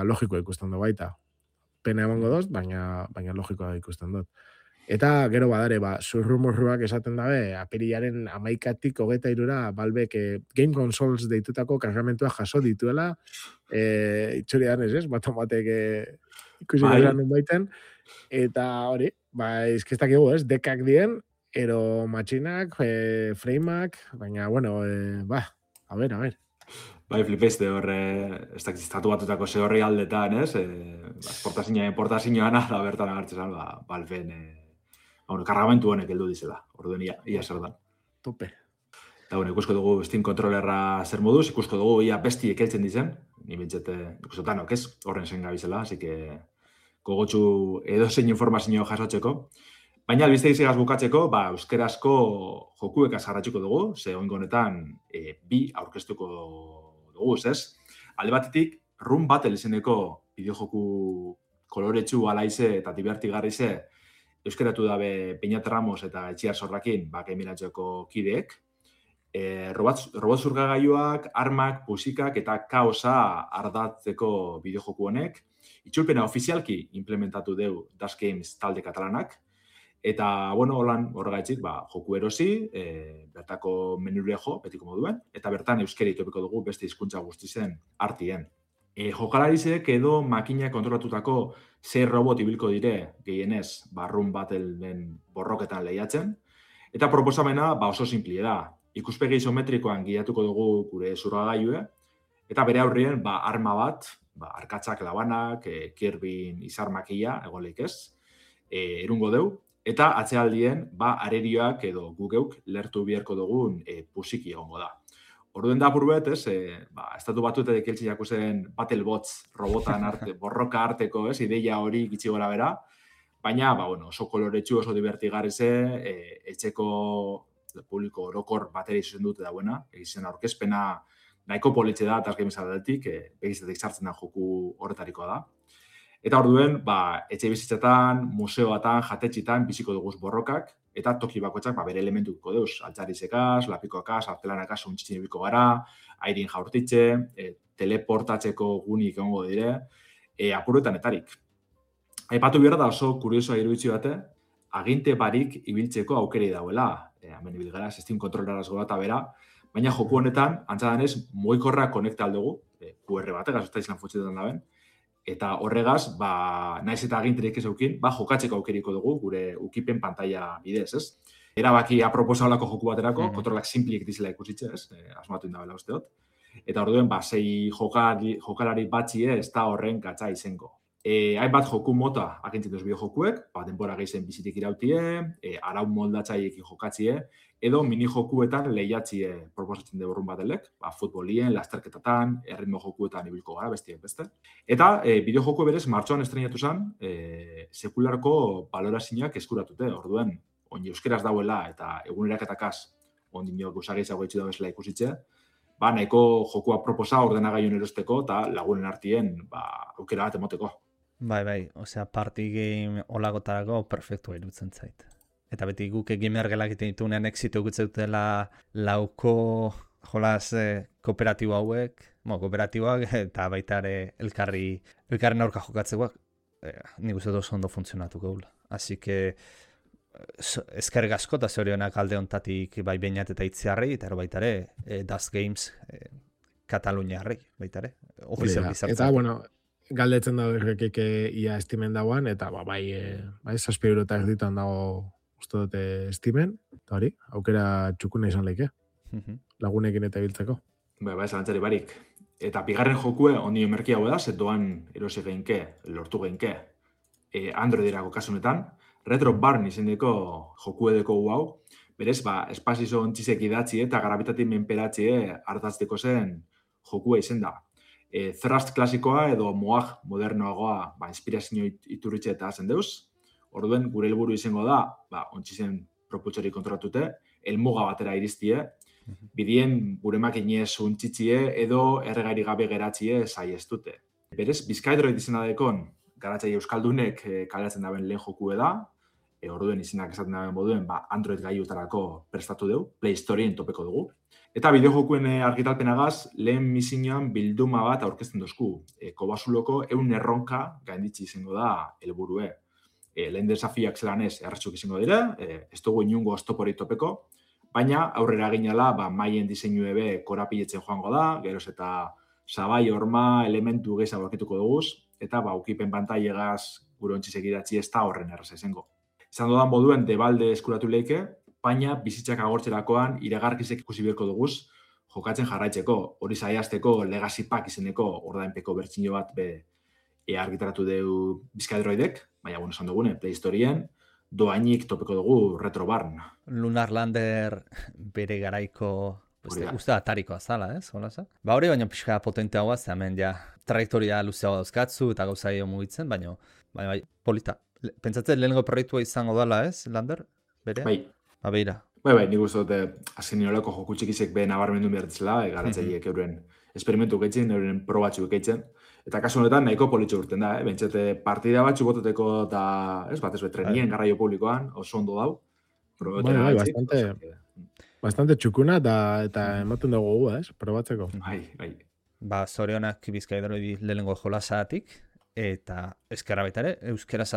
logiko ikusten du baita. Pena emango doz, baina logikoa ikusten dut. Eta gero badare, zurrumurruak esaten dabe, apirilaren 11tik 23 Valvek Game Consoles deitutako kargamentua jaso dituela, itxurian ez, batek ikusi garen baiten, eta hori, izkestak egu ez, dekak dien, ero matxinak, frameak, baina, bueno, a ver. Bai, flipeste horre, ez dakit estatu batutako ze horri aldetan, ez? Portazioana da bertan agertzen, Valven, kargamentu honek heldu dizela, orduen ia zer da. Tope. Eta, bueno, ikusko dugu Steam Controllerra zer moduz, ikusko dugu ia besti ekeltzen dizen, ni bintzete, ikustotanok ez, horren zen gabizela, así que gogotxu edozein informazio jasotzeko. Baina albiste izegaz bukatzeko, euskerazko jokuek azarratxuko dugu, ze oingo honetan bi aurkeztuko dugu, ez? Alde batetik, Run Battle izeneko bideojoku koloretsu alaize eta divertigarrize euskeratu dabe Peñat Ramos eta Etxiar Sorrakin, Gameratxoko kideek. Robot zurgagailuak, armak, pusikak eta kaosa ardatzeko bideojoku honek. Itzulpena ofizialki implementatu deu Das Games talde katalanak. Eta, bueno, horregaitzik, joku erosi, bertako menure jo, betiko moduen, eta bertan euskeri topiko dugu beste hizkuntza guztizen artien. Jokalarizek edo makina kontrolatutako 6 robot ibilko dire gehienez Run Battle-en borroketan lehiatzen, eta proposamena oso simplie da. Ikuspegi isometrikoan guiatuko dugu gure zurgagailue, eta bere aurrien arma bat, arkatzak labanak, Kirbyn izar makia, egoleik ez, erungo deu, eta atzealdien, arerioak edo gugeuk lertu biherko dugun pusiki egongo da. Orduen da apurbet, ez, estatu batuetek eltsiako zen Battlebots robotan borroka arteko, ez, ideia hori gitxi gora bera, baina, oso koloretsu, oso divertigarrize, etxeko publiko orokor bateri zuzen dute dauena, egizien aurkezpena nahiko politxe da, Das Games aldetik, begizetek sartzen da joku horretarikoa da. Eta orduen, etxe bizitzetan, museoatan, jatetxitan biziko duguz borrokak, eta toki bakoitzak bere elementuko deuz, altzarizekaz, lapikoakaz, artelanakaz, untxitzen ibiko gara, airin jaurtitxe, teleportatzeko gunik egongo dire, apuruetan etarik. Aipatu behar da oso kuriosoa iruditzi bate, aginte barik ibiltzeko aukeri dauela, hemen ibil gara, Steam Controlleraz gora eta bera, baina joku honetan, antzadanez, mugikorra konekta aldugu, QR batek, azuzta izan futxetan daben, eta horregaz, naiz eta aginterik ez eukin, jokatzeko aukeriko dugu, gure ukipen pantalla bidez, ez? Erabaki aproposa olako joku baterako, kontrolak simplik dizela ikusitxe, ez? Asmatu indabela usteot. Eta orduen, 6 jokalari batxie ez da horren gatza izenko. Hainbat joku mota agintzen duz bideojokuek, denbora gehizen bizitik irautie, arau moldatzaiekin jokatzie, edo mini-jokuetan lehiatzie proposatzen dugu Run Battlek, futbolien, lasterketatan, erritmo jokuetan ibilko gara, bestiak beste. Eta bideojoku berez, martxoan estrenatu zen, sekularko balorazioak eskuratute, orduen, oin euskeraz dauela eta eguneraketakaz, ondino guzageizago etxu da bezala ikusitxe, nahiko jokua proposa ordenagaiun erosteko eta lagunen artien aukera bat emoteko. Bai, osea, party game olagotarako perfektua irutzen zait. Eta beti guk gamer gelak egiten ditunean exito gutzen dutela lauko jolas kooperatibo hauek, kooperatiboak eta baita ere elkarren aurka jokatzekoak, nik uste oso ondo funtzionatuko gula. Así que eskerrik asko eta zorionak alde hontatik bai Beñat eta Itziarri, eta baita ere Das Games Kataluniarri, baita ere, ofizialki sartzen. Eta, bueno, galdetzen dago errekik ia estimen dagoan, eta bai 7 € erditan dago uste dute estimen, Eta hori, aukera txukuna izan leike, lagunekin eta biltzeko. Bai, zalantzari barik. Eta bigarren jokue ondi merkia hau da, zetoan erosi geinke, lortu geinke, Androiderako kasunetan, Retro Barn izendeko jokuedeko hau, berez, espazizo ontzizek idatzi eta garabitatik menperatzie hartatzeko zen jokua izen da. Thrust klasikoa edo Moag modernoagoa inspirazio iturritxe eta zen deuz. Orduen, gure helburu izango da, ontzizen propultsori kontrolatute, helmuga batera iriztie, bidien gure makinez untzitzie edo erregari gabe geratzie saiestute. Berez, Bizkaidroid izena dekon, garatzaile euskaldunek kaleatzen daben lehen jokue da, orduen izenak esaten daben moduen, Android gaiutarako prestatu dugu, Play Storeen topeko dugu. Eta bideojokuen argitalpenagaz, lehen misioan bilduma bat aurkezten dozku. Kobasuloko 100 erronka gainditzi izango da helburue. Lehen desafiak zelanez erratxuk izango dira, ez dugu inungo oztoporik topeko, baina aurrera ginala maien diseinu ebe korapiletzen joango da, geroz eta sabai, horma, elementu gehiago aurkituko duguz, eta ukipen pantailegaz gure ontzizek idatzi ez da horren erraza izango. Izan dodan moduen debalde eskuratu leike, baina bizitzak agortzerakoan iragarkizek ikusi beharko duguz jokatzen jarraitzeko, hori zaiazteko Legacy Pack izeneko ordainpeko bertsio bat argitaratu deu Bizkaidroidek, baina esan dugune, Play Storeen, doainik topeko dugu Retro Barn. Lunar Lander bere garaiko, uste atarikoa zala, holasa? Hori baina pixka potenteagoa, ze hemen ja trajektoria luzeagoa dauzkatzu eta gauzaio mugitzen, baina polita. Pentsatzen lehenengo proiektua izango dela, Lander? Bere? Bai. Beira. Bai, nik uste dute azken nolako jokutxikizek be nabarmendu behartzela, garatzaileek euren esperimentu gaitzen, euren probatxu gaitzen. Eta kasu honetan nahiko politxo urten da, bentsete partida batxu boteteko eta, batez trenien garraio publikoan, oso ondo dau. Bai, bastante txukuna eta ematen dugu, probatzeko. Bai. Zorionak Bizkaidroidi lehenengo jolasatik, eta eskerra baita ere, euskeraz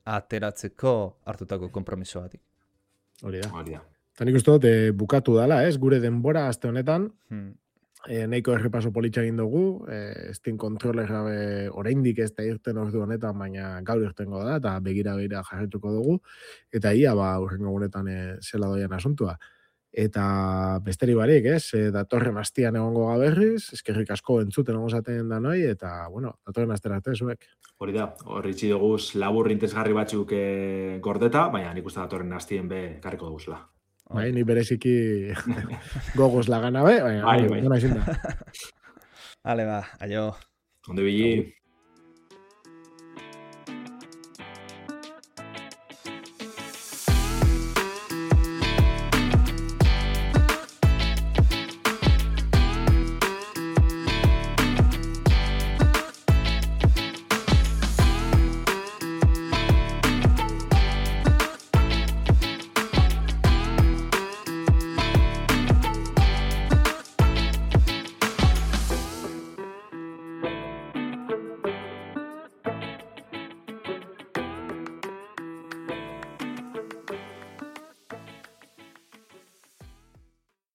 ateratzeko hartutako konpromisoatik. Hori da. Eta nik uste dut, bukatu dala, gure denbora aste honetan, nahiko errepaso politxa egin dugu, Steam Controller gabe oraindik ez da irten ordu honetan, baina gaur irtengo da, eta begira jarrituko dugu, eta ia urrengo gunetan zela doian asuntua. Eta besteri barik, datorren astian egongo gaberriz, eskerrik asko entzuten egon zaten da noi, eta, datorren astera arte zuek. Hori da, horri txidoguz labur intezgarri batzuk gordeta, baina nik uste datorren astien be karriko duguzela. Bai, ni bereziki gogoz lagana be, baina, bai. gona izin da. Ale aio. Onde bili.